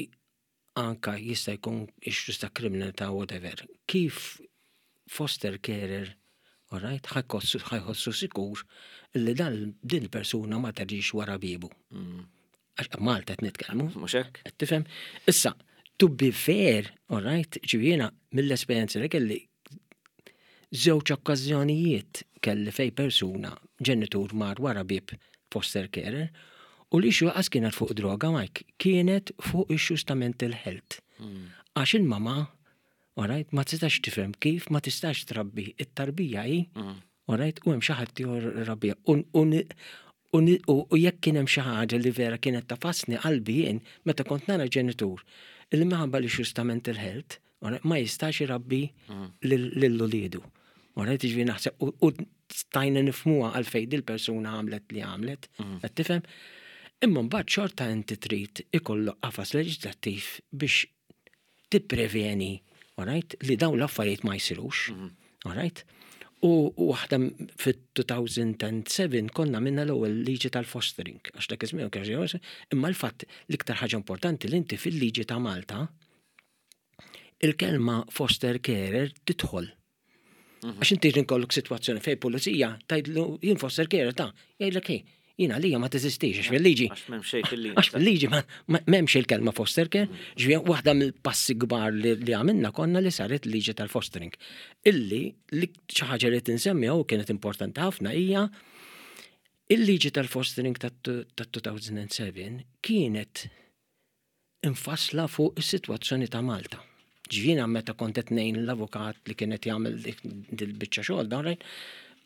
anka jista' jkun issues ta' kriminalità, whatever. Kif foster carer, all right, ħa jħossu sikur li dan din persuna ma terġix wara bibu? Mm. Għax Malta qed nitkellmu. Mhux hekk? Qed tifhem? Issa, to be fair, all right, ġifieri mill-esperjenza li kelli, żewġ okkażjonijiet kelli fej persuna, ġenitur mar wara bib foster carer, u l-issue qas kienet fuq droga, Mike, kienet fuq issues ta' mental health. Mm. Għax il-mama, all right, ma tistax tifhem kif ma tistax trabbi it-tarbija hi, mm. all right, u hemm xi ħadd rabbija. U jekk kien hemm xi ħaġa li vera kienet tagħfasni qalbi jien meta kont nara ġenitur il minħabba li ta' mental health ma jistax irabbi mm. lil uliedu. Alright, ġifieri naħseb u stajna nifhmuha għalfejn dil-persuna għamlet li għamlet, mm. qed tifhem? Imma mbagħad xorta inti trid ikollok qafas leġislattiv biex tippreveni, alright, li dawn l-affarijiet ma jsirux, mm. alright? U waħda fit-elfejn u sebgħa konna minna l-ewwel liġi tal-fostering, għax dak iż-żmien kien, imma l-fatt l-iktar ħaġa importanti li inti fil-liġi ta' Malta il-kelma foster carer tidħol. Għax inti jkollok sitwazzjoni fej pulizija tgħidlu jien foster carer ta' jgħidlek hej, jiena lija ma teżistix għax fil-liġi. Għax m'hemm xejn fil-liġi. Għax fil-liġi ma m'hemmx il-kelma foster care. Ġifieri waħda mill-passi kbar li li għamilna konna li saret liġi tal-fostering. Illi li xi ħaġa li tinsemmi u kienet importanti ħafna hija il-liġi tal-fostering tat-elfejn u sebgħa kienet infasla fuq is-sitwazzjoni ta' Malta. Ġifieri meta kont qed ngħin l-avukat li kienet jagħmel dil-biċċa xogħol dan rajt,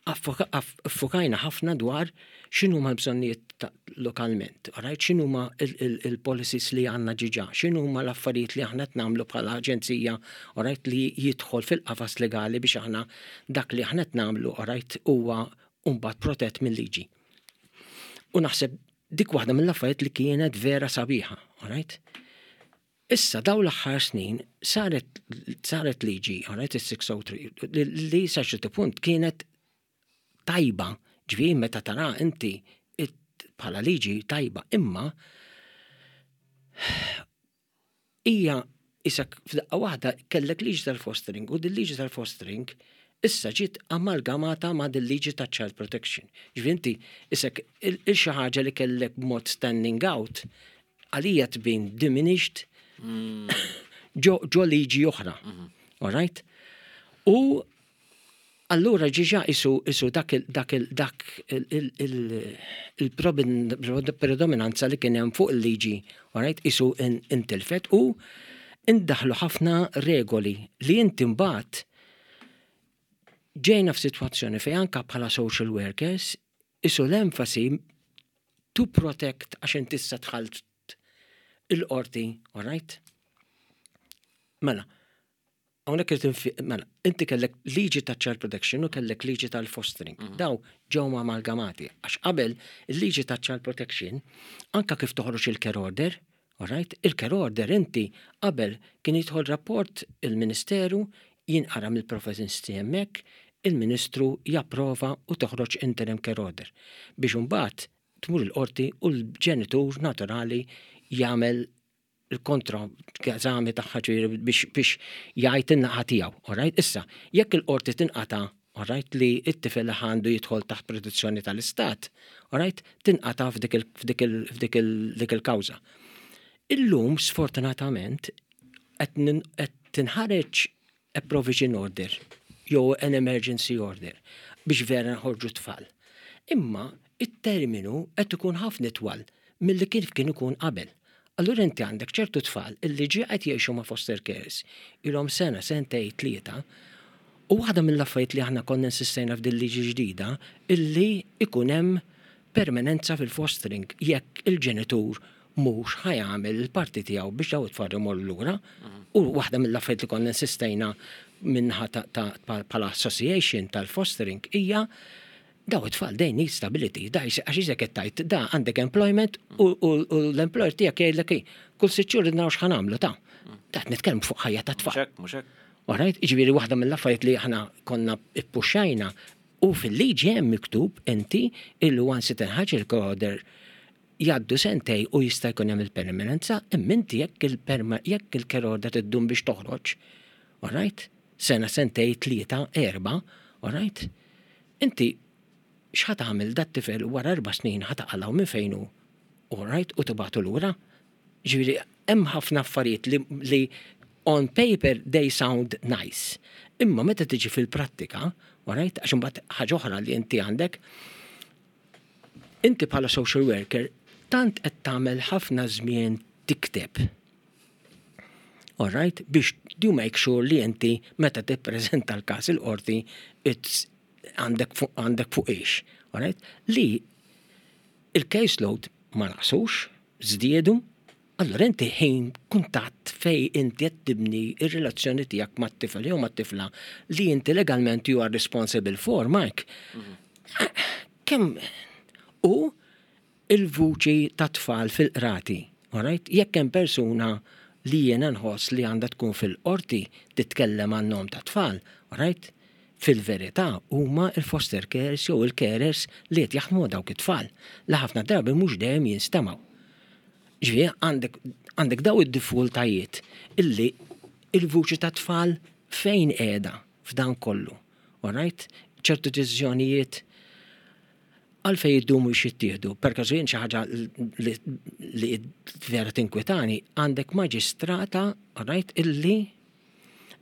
iffukajna ħafna dwar x'inhuma l-bżonnijiet ta' lokalment, right? X'inhuma il-policies li għandna ġiġa, x'inhuma l-affarijiet li aħna qed nagħmlu bħala aġenzija, right, li jidħol fil-qafas legali biex aħna dak li aħna qed nagħmlu, right, huwa mbagħad protett mill-liġi. U naħseb dik waħda mill-affarijiet li kienet vera sabiħa, right? Issa daw l-aħħar snin saret saret liġi, alright, is-sitt mija u tlieta, li li sa ċertu punt kienet tajba, Ġifieri meta tara inti bħala liġi tajba, imma hija isek f'daqqa waħda kellek liġi tal-fostering u din liġi tal-fostering issa ġiet amalgamata ma' din liġi ta' child protection. Ġifieri inti isek il xi ħaġa li kellek b'mod standing out għalija tbin diminished mm. ġo liġi oħra. Mhm. All right? U allura ġiġa isu isu dak dak dak il-predominanza li kien hemm fuq il-liġi, alright, isu intilfet u indaħlu ħafna regoli li inti mbagħad ġejna f'sitwazzjoni fejn anka bħala social workers isu l-enfasi to protect, għax inti issa dħalt il-qorti, alright? Mela, hawnhekk irid, mela, inti kellek liġi ta' child protection u kellek liġi tal-fostering. Mm -hmm. Daw ġew amalgamati. Għax qabel il-liġi ta' child protection, anka kif toħroġ il-care order, alright? Il-care order inti qabel kien jidħol rapport il-Ministeru, jinqara mill-professjonisti hemmhekk, il-Ministru japprova u toħroġ interim care order. Biex imbagħad tmur il-qorti u l-ġenitur naturali jagħmel il-kontra eżami tagħha biex biex jgħid in-naħa tiegħu, alright? Issa, jekk il-qorti tinqata', alright, li t-tifel għandu jidħol taħt protezzjoni tal-istat, alright, tinqata' f'dik il-kawża. Illum, sfortunatament, qed tinħareġ a provision order jew an emergency order biex vera nħorġu tfal. Imma it-terminu qed ikun ħafna twal milli kif kien ikun qabel. Allura inti għandek ċertu tfal illi ġi qed jgħixu ma' foster carers ilhom sena, sentej, tlieta, u waħda mill-affarijiet li aħna konna insistejna f'din liġi ġdida illi ikun hemm permanenza fil-fostering jekk il-ġenitur mhux ħa jagħmel il-parti tiegħu biex daw it-tfal imorru lura. U waħda mill-affarijiet li konna insistejna minnaħa ta' bħala association tal-fostering hija daw it-tfal, they need stability, da għax iżek qed tgħid da għandek employment u l-employer tiegħek jgħidlek kull sitt xhur naraw x'ħa nagħmlu ta' ta' nitkellmu fuq ħajja ta' tfal. Mhux hekk. Alright, ġifieri waħda mill-affarijiet li aħna konna ippuxxajna u fil-liġi hemm miktub inti illi once tinħaġ il-order jgħaddu sentej u jista' jkun hemm il-permanenza, imma inti jekk il-perma jekk il-care order iddum biex toħroġ, alright? Sena, sentej, tlieta, erba, alright? Inti x'ħa tagħmel dat tifel wara erba' snin? Ħa taqalgħu minn fejn hu, alright, u tibagħtu lura? Ġifieri hemm ħafna affarijiet li, li on paper they sound nice. Imma meta tiġi fil-prattika, alright, għax imbagħad ħaġa oħra li inti għandek, inti bħala social worker tant qed tagħmel ħafna żmien tikteb. Alright, biex you make sure li inti meta tippreżenta l-każ il-qorti it's għandek fuq għandek fuq ix. Alright? Li il-caseload ma naqsux, żdiedu, allora inti ħin kuntatt fej inti qed tibni ir-relazzjoni tiegħek mat-tifel jew mat-tifla li inti legalment you are responsible for, Mike. Kemm u il-vuċi ta' tfal fil-qrati, alright? Jekk hemm persuna li jiena nħoss li għandha tkun fil-qorti titkellem għan-nom ta' tfal, alright? Fil-verità huma il-foster carers jew il-carers li qed jaħdmu dawk it-tfal li ħafna drabi mhux dejjem jinstemgħu. Ġifieri għandek għandek daw id-diffikultajiet illi il-vuċi ta' tfal fejn qiegħda f'dan kollu. Alright? Ċertu deċiżjonijiet għalfej jiddumu biex jittieħdu. Per każu jien xi ħaġa li, li vera tinkwetani, għandek maġistrata, alright, illi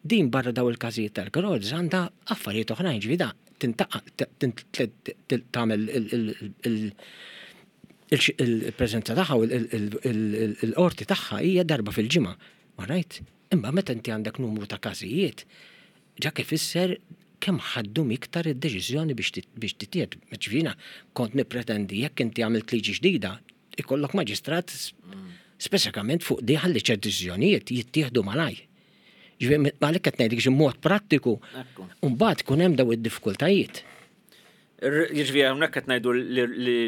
din barra daw il-każijiet tal-Grods għandha affarijiet oħrajn, ġifieri da tintaqa tagħmel il-preżenza tagħha u il-qorti tagħha hija darba fil-ġimgħa. Alright? Imma meta inti għandek numru ta' każijiet, ġa kif ifisser kemm ħaddum iktar id-deċiżjoni biex titjiet. Ġifieri kont nippretendi jekk inti għamilt liġi ġdida, ikollok maġistrat speċifikament fuq di ħalli ċert deċiżjonijiet jittieħdu malaj. Ġifieri għalhekk qed ngħidlek mod prattiku. Mbagħad kun hemm daw id-diffikultajiet. Jiġifieri hawnhekk qed ngħidu li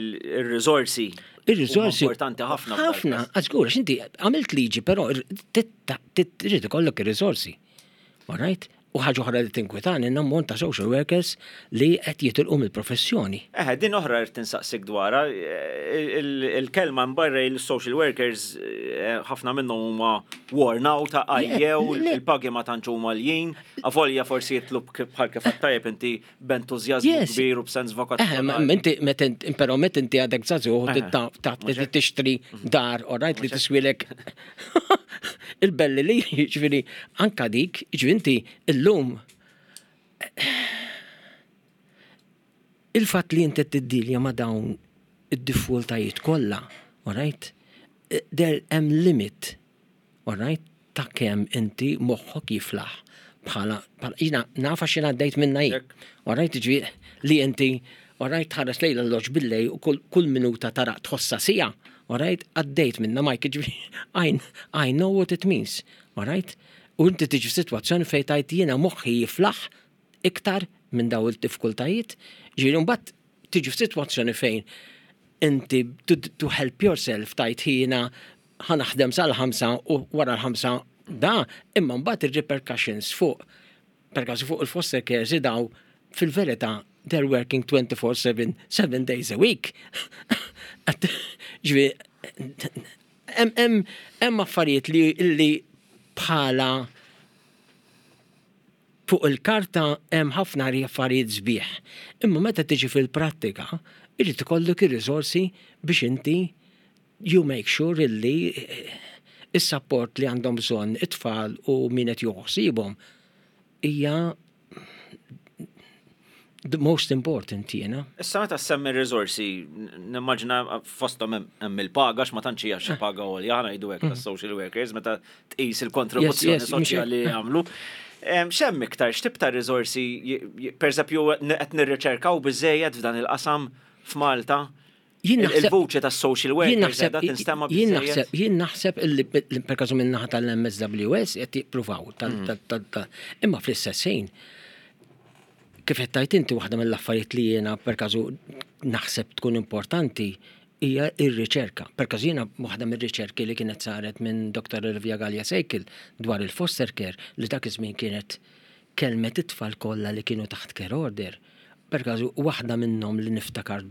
r-riżorsi. Ir-riżorsi. Importanti ħafna. Ħafna, għażgur, għax inti għamilt liġi, però trid ikollok ir-riżorsi. All right? U ħaġa oħra li tinkwetani, l-ammont ta' social workers li qed jitilqu mill-professjoni. Eħe, din oħra rrid insaqsik dwarha. Il-kelma mbarra il-social workers, eh, ħafna minnhom huma worn out, għajjew, il-pagi ma tantx huma għaljin, avolja forsi jitlu bħal kif tajjeb inti b'entużjażmu kbir u b'sens vokazzjonali. Inti però meta inti għadek żagħżugħ tixtri dar, alright, li tiswilek il-belli li, ġifieri anka dik, ġifieri inti illum il-fatt li inti tiddilja ma' dawn id-diffikultajiet kollha, alright, there hemm limit, alright, ta' kemm inti moħħok jiflaħ bħala, jiena nafa x'jien għaddejt minna jien. Alright, ġifieri li inti, alright, tħares lejn l-arloġġ billejl u kull minuta tara tħossha siegħa, alright, għaddejt minna, Mike, ġifieri I, I know what it means, alright? U inti tiġi f'sitwazzjoni fejn tajt jiena moħħi jiflaħ iktar minn daw il-diffikultajiet, ġifieri mbagħad tiġi f'sitwazzjoni fejn inti to, to help yourself tajt jiena ħa naħdem sal-ħamsa u wara l-ħamsa da, imma mbagħad ir-repercussions fuq per każ fuq il-foster cares daw fil-verità they're working twenty-four seven, seven days a week. Ġifieri hemm affarijiet li li bħala fuq il-karta hemm ħafna affarijiet sbieħ. Imma meta tiġi fil-prattika, irid ikollok ir-riżorsi biex inti you make sure illi is-support li għandhom bżonn it-tfal u min qed joħsibhom hija the most important jiena. Issa meta semmi riżorsi, nimmaġina fosthom hemm il-paga, ma tantx hija xi paga għolja, aħna ngħidu hekk tas-social workers meta tqis il-kontribuzzjoni soċjali li jagħmlu. X'hemm iktar, x'tip ta' riżorsi, per eżempju, qed nirriċerkaw biżejjed f'dan il-qasam f'Malta? Il-vuċi ta' social workers qiegħda tinstema' biżejjed? Jien naħseb illi per każu min-naħa tal-M S W S qed jippruvaw, imma fl-istess ħin, kif qed tajt inti, waħda mill-affarijiet li jiena per każu naħseb tkun importanti hija ir-riċerka. Per każu jiena waħda mir-riċerki li kienet saret minn Doktor Olivia Gallia Sejkil dwar il-foster care, li dak iż-żmien kienet kelmet it-tfal kollha li kienu taħt care order. Per każu waħda minnhom li niftakar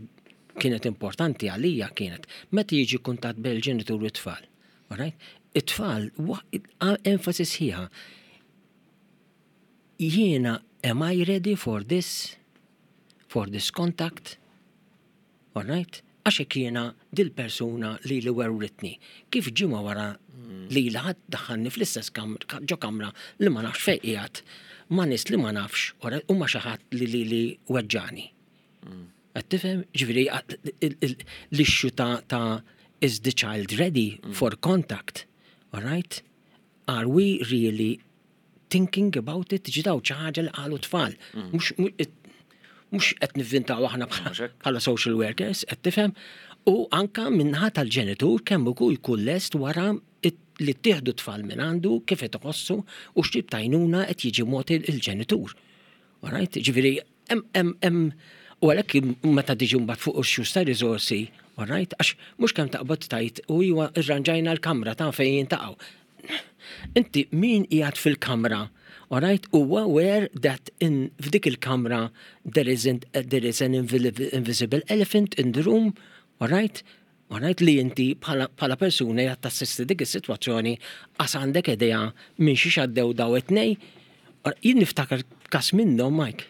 kienet importanti għalija kienet meta jiġi kuntatt bejn il-ġenitur u t-tfal. Alright? It-tfal, enfasi sħiħa. Jiena, am I ready for this? For this contact? Alright? Għax hekk jiena dil-persuna li li werwritni. Kif ġimgħa wara li li ħadd daħħalni fl-istess ġo kamra li ma nafx fejn qiegħed, ma' nies li ma nafx, u ma xi ħadd li li li weġġani. Qed tifhem? Ġifieri l-issue ta' ta' is the child ready for contact? Alright? Are we really thinking about it? Ġidaw ħaġa li qalu tfal. Mhux mhux qed nivvintaw aħna bħala social workers, qed tifhem? U anka min-naħa tal-ġenitur kemm ukoll jkun lest wara li ttieħdu tfal minn għandu, kif qed iħossu u x'tip t'għajnuna qed jiġi mogħti il-ġenitur. Alright? Ġifieri hemm hemm u għalhekk meta tiġi mbagħad fuq ix ta' riżorsi, alright, għax mhux kemm taqbad tajt u iwa irranġajna l-kamra ta' fejn jintaqgħu. Inti min qiegħed fil-kamra, alright, huwa aware that in f'dik il-kamra there isn't there is an invisible elephant in the room, alright? Alright, li inti bħala persuna qed tassisti dik is-sitwazzjoni għas għandek idea minn xi għaddew daw it-tnej. Jien niftakar kas minnhom, Mike.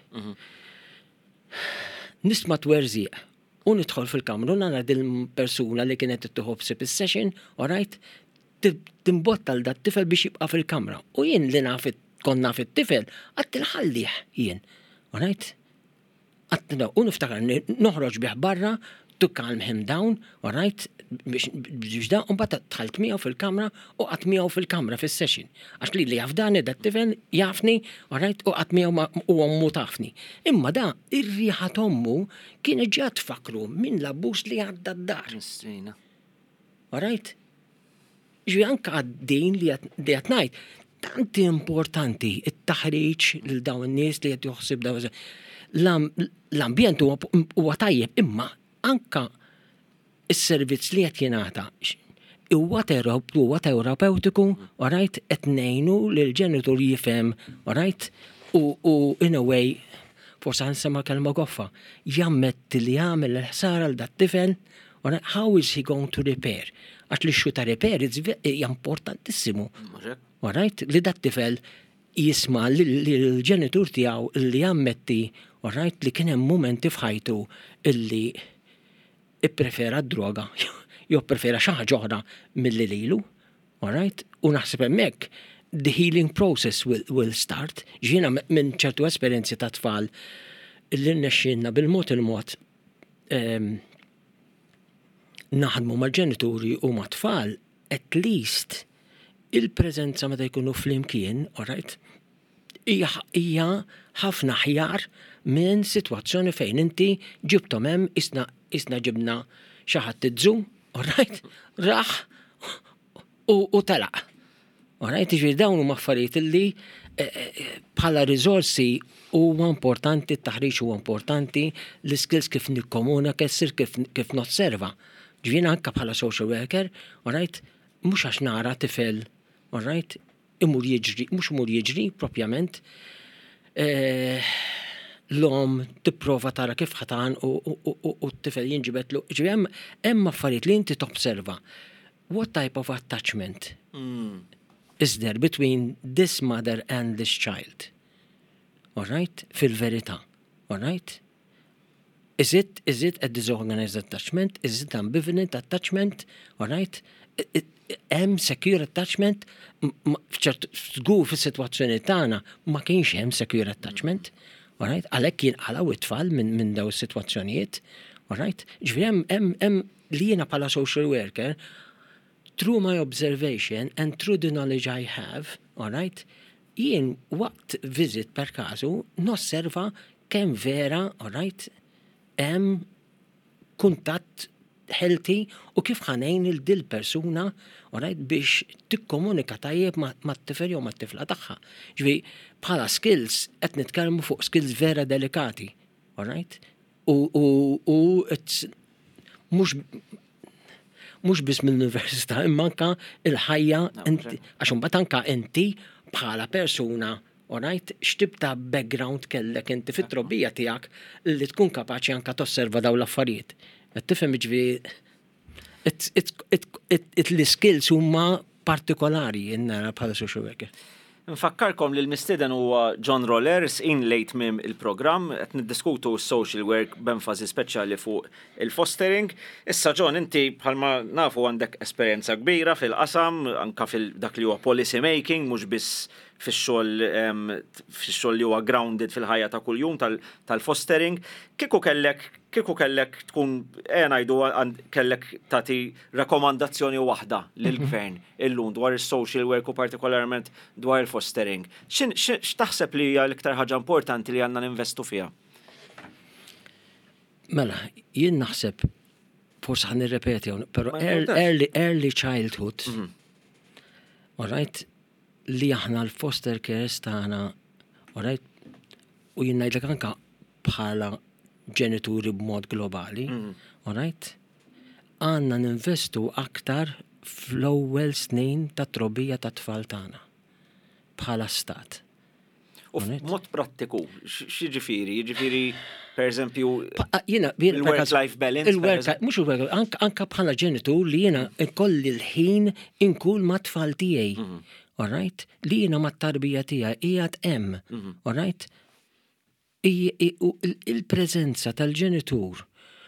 Nisma' twerżiq u nidħol fil-kamra u nara dil-persuna li kienet tieħu ħsieb is-session, alright, timbotta l dat tifel biex jibqa' fil-kamra. U jien li naf kont naf it-tifel, għedt inħallih jien. Alright? Għedt u niftakar noħroġ bih barra to calm him down, alright, biex da, u mbagħad dħalt miegħu fil-kamra u qgħadt miegħu fil-kamra fis-session. Għax li li jafdani dat tifel jafni, alright, u qgħadt miegħu u ommu tafni. Imma da, ir-riħa t'ommu kienet ġa tfakru minn l-abbuż li għadda d-dar. Alright? Ġi anka din li qed ngħid, tanti importanti it-taħriġ lil dawn in-nies li qed joħsib daw l-ambjent huwa tajjeb, imma anka is-servizz li qed jingħata huwa huwa terapeutiku, alright, qed ngħinu lil ġenitur jifhem, alright, U, u in a way, forse ħa nsemma kelma goffa, jammetti li għamel l-ħsara 'l dat-tifel, how is he going to repair? Għax l-issue ta' repair hija importantissimu. Alright? Li dat-tifel jisma' l-ġenitur tiegħu li jammetti, alright, li kien hemm momenti f'ħajtu illi ipprefera d-droga, jew prefera xi ħaġa oħra milli lilu, alright? U naħseb hemmhekk the healing process will, will start. Jiena minn ċertu esperjenzi ta' tfal illi rnexxielna bil-mod il-mod um, naħdmu mal-ġenituri u ma' tfal, at least il-preżenza meta jkunu flimkien, alright, hija ħafna aħjar minn sitwazzjoni fejn inti ġibtom hemm isna isna ġibna xi ħadd iż-zoo, alright, raħ u, u telaq. Alright, ġifieri dawn huma affarijiet illi eh, eh, bħala riżorsi huwa importanti, t-taħriġ huwa importanti, l-skills kif nikkomunika, kif, kif nosserva. Ġifieri anka bħala social worker, alright, mhux għax nara tifel, alright, imur jiġri, mhux imur jiġri propjament, eh, l-omm tipprova tara kif ħatan u t-tifel jinġibetlu. Ġifieri hemm affarijiet li inti tobserva. What type of attachment mm. is there between this mother and this child? All right? Fil-verità. All right? Is it, is it a disorganized attachment? Is it ambivalent attachment? All right? Hemm secure attachment? Żgur fis-sitwazzjoni tagħna ma kienx hemm secure attachment. All right? Għalhekk jinqalgħu it-tfal minn min daw is-sitwazzjonijiet. All right? Ġifieri hemm hemm li jiena bħala social worker through my observation and through the knowledge I have, all right, jien waqt visit per kasu nosserva kemm vera, all right, hemm kuntatt healthy u kif ħa ngħin 'il dil persuna, all right, biex tikkomunika tajjeb mat-tifel jew mat-tifla tagħha. Ġifieri bħala skills qed nitkellmu fuq skills vera delikati, all right? U u u it's mhux mhux biss mill-università, imma anka il-ħajja, għax imbagħad anka inti bħala persuna, alright, x'tip ta' background kellek inti fit-trobbija tiegħek li tkun kapaċi anka tosserva daw l-affarijiet. Qed tifhem ġifieri l-skills huma partikolari nara bħala social worker. Nfakkarkom li l-mistieden huwa John Rollers in late mim il-programm qed niddiskutu social work b'enfasi speċjali fuq il-fostering. Issa John, inti bħalma nafu għandek esperjenza kbira fil-qasam, anka fil-dak li huwa policy making, mhux biss fix-xogħol fix-xogħol li huwa grounded fil-ħajja ta' kuljum tal-fostering. Kieku kellek kieku kellek tkun eh ngħidu kellek tagħti rekomandazzjoni waħda lill-gvern illum dwar is-social work u partikolarment dwar il-fostering. X'taħseb li hija l-iktar ħaġa importanti li għandna ninvestu fiha? Mela, jien naħseb forsi ħa nirrepeti, pero early, early childhood, mhm. all right, li aħna l-foster cares tagħna, all right, u jien ngħidlek anka bħala ġenituri b'mod globali, mm. all right, għandna ninvestu aktar fl-ewwel snin ta' trobbija ta' tfal tagħna bħala stat. U f'mod prattiku, x'jiġifieri? Jiġifieri, per eżempju, il-work-life balance? Il-work, mhux il-work, anka bħala ġenitur li jiena nkolli l-ħin inkun ma' tfal tiegħi. Mhm. All right? Li jiena ma' tarbija tiegħi qiegħed hemm. Mhm. All right? Il-preżenza tal-ġenitur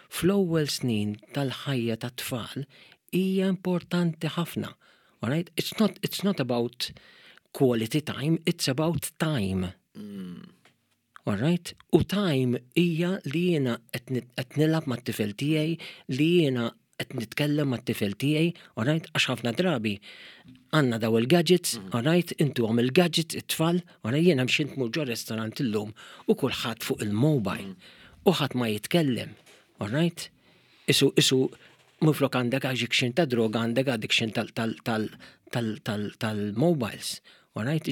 fl-ewwel snin tal-ħajja tat-tfal hija importanti ħafna. All right? It's not, it's not about quality time, it's about time. Mm. All right? U time hija li jiena qed nilgħab mat-tifel tiegħi, li jiena qed nitkellem mat-tifel tiegħi, all right? Għax ħafna drabi għandna daw il-gadgets, mm. all right? Intu għam il-gadgets, it-tfal, all right? Jiena mxint mur ġo restaurant illum u kulħadd fuq il-mobile mm. u ħadd ma jitkellem, all right? Isu, isu, minflok għandek addiction ta' droga għandek addiction tal-mobiles, all right?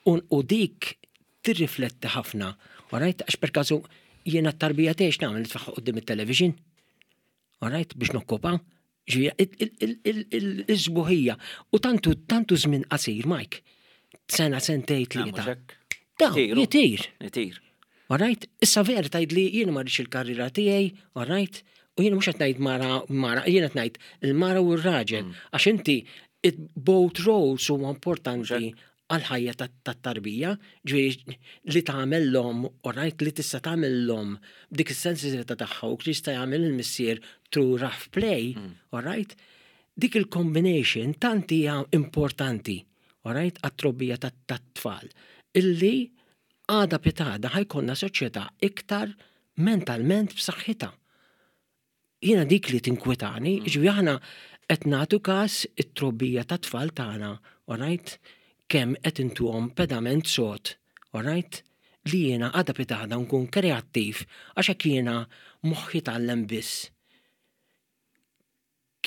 U dik tirrifletti ħafna, all right? Għax per kazu jiena t-tarbija tiegħi nagħmel nitfagħha quddiem it-television, all right? Biex nokkupa, il-sbuħija. U tantu tantu żmien qasir, Mike, sena sentej tlieta. Daw, jitir. Jitir. Alright? Issa vera tgħid li jien ma rridx il-karriera tiegħi, alright? U jien mhux qed ngħid mara mara, jien qed ngħid il-mara u r-raġel. Mm. Għax inti both roles huma importanti għal-ħajja tat-tarbija, ġifieri li tagħmel l-omm, alright, li tista' tagħmel l-omm dik is-sensitività tagħha u jista' jagħmel il-missier through rough play, mm. alright? Dik il-combination tant hija importanti, alright, għat-trobbija tat-tfal. Illi għada pitgħada ħa jkollna soċjetà iktar mentalment b'saħħitha. Jiena dik li tinkwetani, mm. ġifieri aħna qed nagħtu każ it-trobbija tat-tfal tagħna, alright? Kemm qed intuhom pedament sod, alright? Li jiena għada pitgħada nkun kreattiv għax hekk jiena moħħi tgħallem biss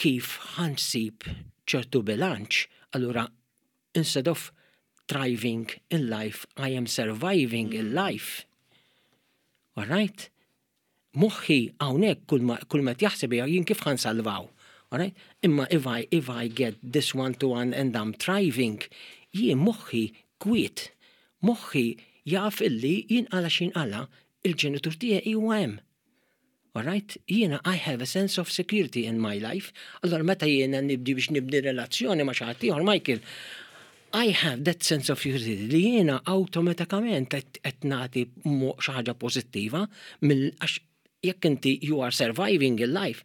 kif ħa nsib ċertu bilanċ, allura instead of thriving in life, I am surviving in life. Alright? Moħħi hawnhekk kull ma jaħseb jien kif ħa nsalvaw. Alright? Imma if I, if I get this one to one and I'm thriving, jien moħħi kwiet. Moħħi jaf illi jinqala x'inqala il-ġenitur tiegħi huwa hemm. Alright? Jiena I have a sense of security in my life. Allora meta jiena nibdi biex nibni relazzjoni ma' xi ħadd ieħor, Michael, I have that sense of security li jiena awtomatikament qed nagħti xi ħaġa pożittiva mill għax jekk inti you are surviving in life,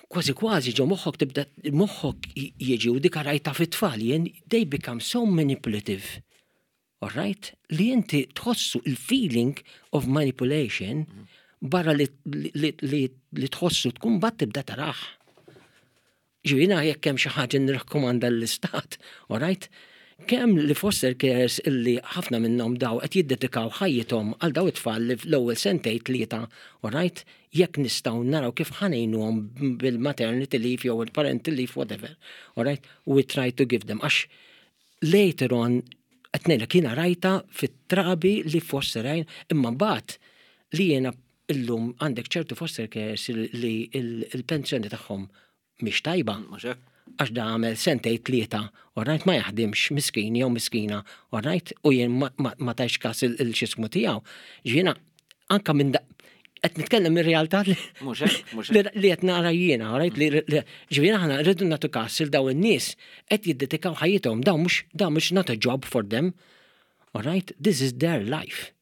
kważi kważi ġo moħħok tibda moħħok jiġi u dik rajta fit-tfal jien they become so manipulative. Alright? Li inti tħossu il-feeling of manipulation barra li, li, li, li tħossu tkun bat tibda taraħ. Ġifieri jekk hemm xi ħaġa nirrakkomanda l-istat, alright? Kemm li foster carers illi ħafna minnhom daw qed jiddedikaw ħajjithom għal daw it-tfal li fl-ewwel sentejn tlieta, alright? Jekk nistgħu naraw kif ħa ngħinuhom bil-maternity leave jew il-parental leave, whatever, alright? We try to give them. Għax later on, qed ngħidlek jiena rajta fit-trabi li foster għajn, imma mbagħad li jiena illum għandek ċertu foster carers li il-pensjoni tagħhom mhix tajba. Mhux hekk? Għax da għamel sentej tlieta, alright, ma jaħdimx miskin jew miskina, alright, u jien ma, ma, ma tajx kas il-xismu tiegħu. Jiena anka minn da qed nitkellem mir-realtà li Mhux hekk, mhux hekk. li li qed nara jiena, alright, li li- ġifieri aħna rridu nagħtu kas il daw in-nies qed jiddedikaw ħajjithom, daw mhux daw mhux not a job for them. Alright, this is their life.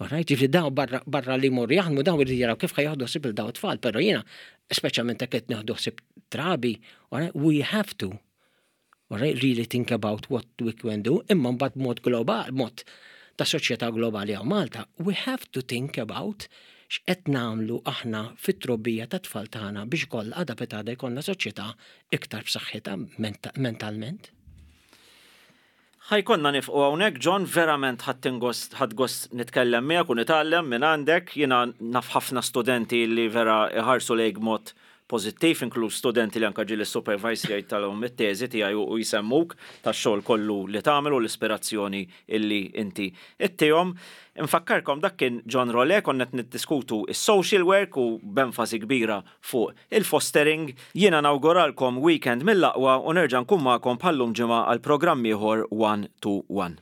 Alright, ġifieri daw barra, barra li morru jaħdmu daw irridu jaraw kif ħa jieħdu ħsieb il daw it-tfal, però jiena, speċjalment jekk qed nieħdu ħsieb trabi, alright, we have to alright, really think about what we can do, imma mbagħad mod global, mod ta' soċjetà globali għaw Malta, we have to think about x'qed nagħmlu aħna fit-trobbija ta' tfal tagħna biex koll għada pitgħada jkollna soċjetà iktar b'saħħitha menta- mentalment. Ħa jkollna nieqfu hawnhekk, John, verament ħadt gost ħadt gost nitkellem miegħek u nitgħallem minn għandek. Jiena naf ħafna studenti li vera iħarsu lejk mod pożittiv, inkluż studenti li anka ġieli supervisor jgħid it-teżi tiegħi u jsemmuk tax-xogħol kollu li tagħmel u l-ispirazzjoni illi inti ittihom. Infakkarkom dak kien John Rolle, konna qed niddiskutu is-social work u b'enfasi kbira fuq il-fostering. Jiena nawguralkom weekend mill-aqwa u nerġa' nkun magħkom bħallum ġimgħa għal programm ieħor One to One.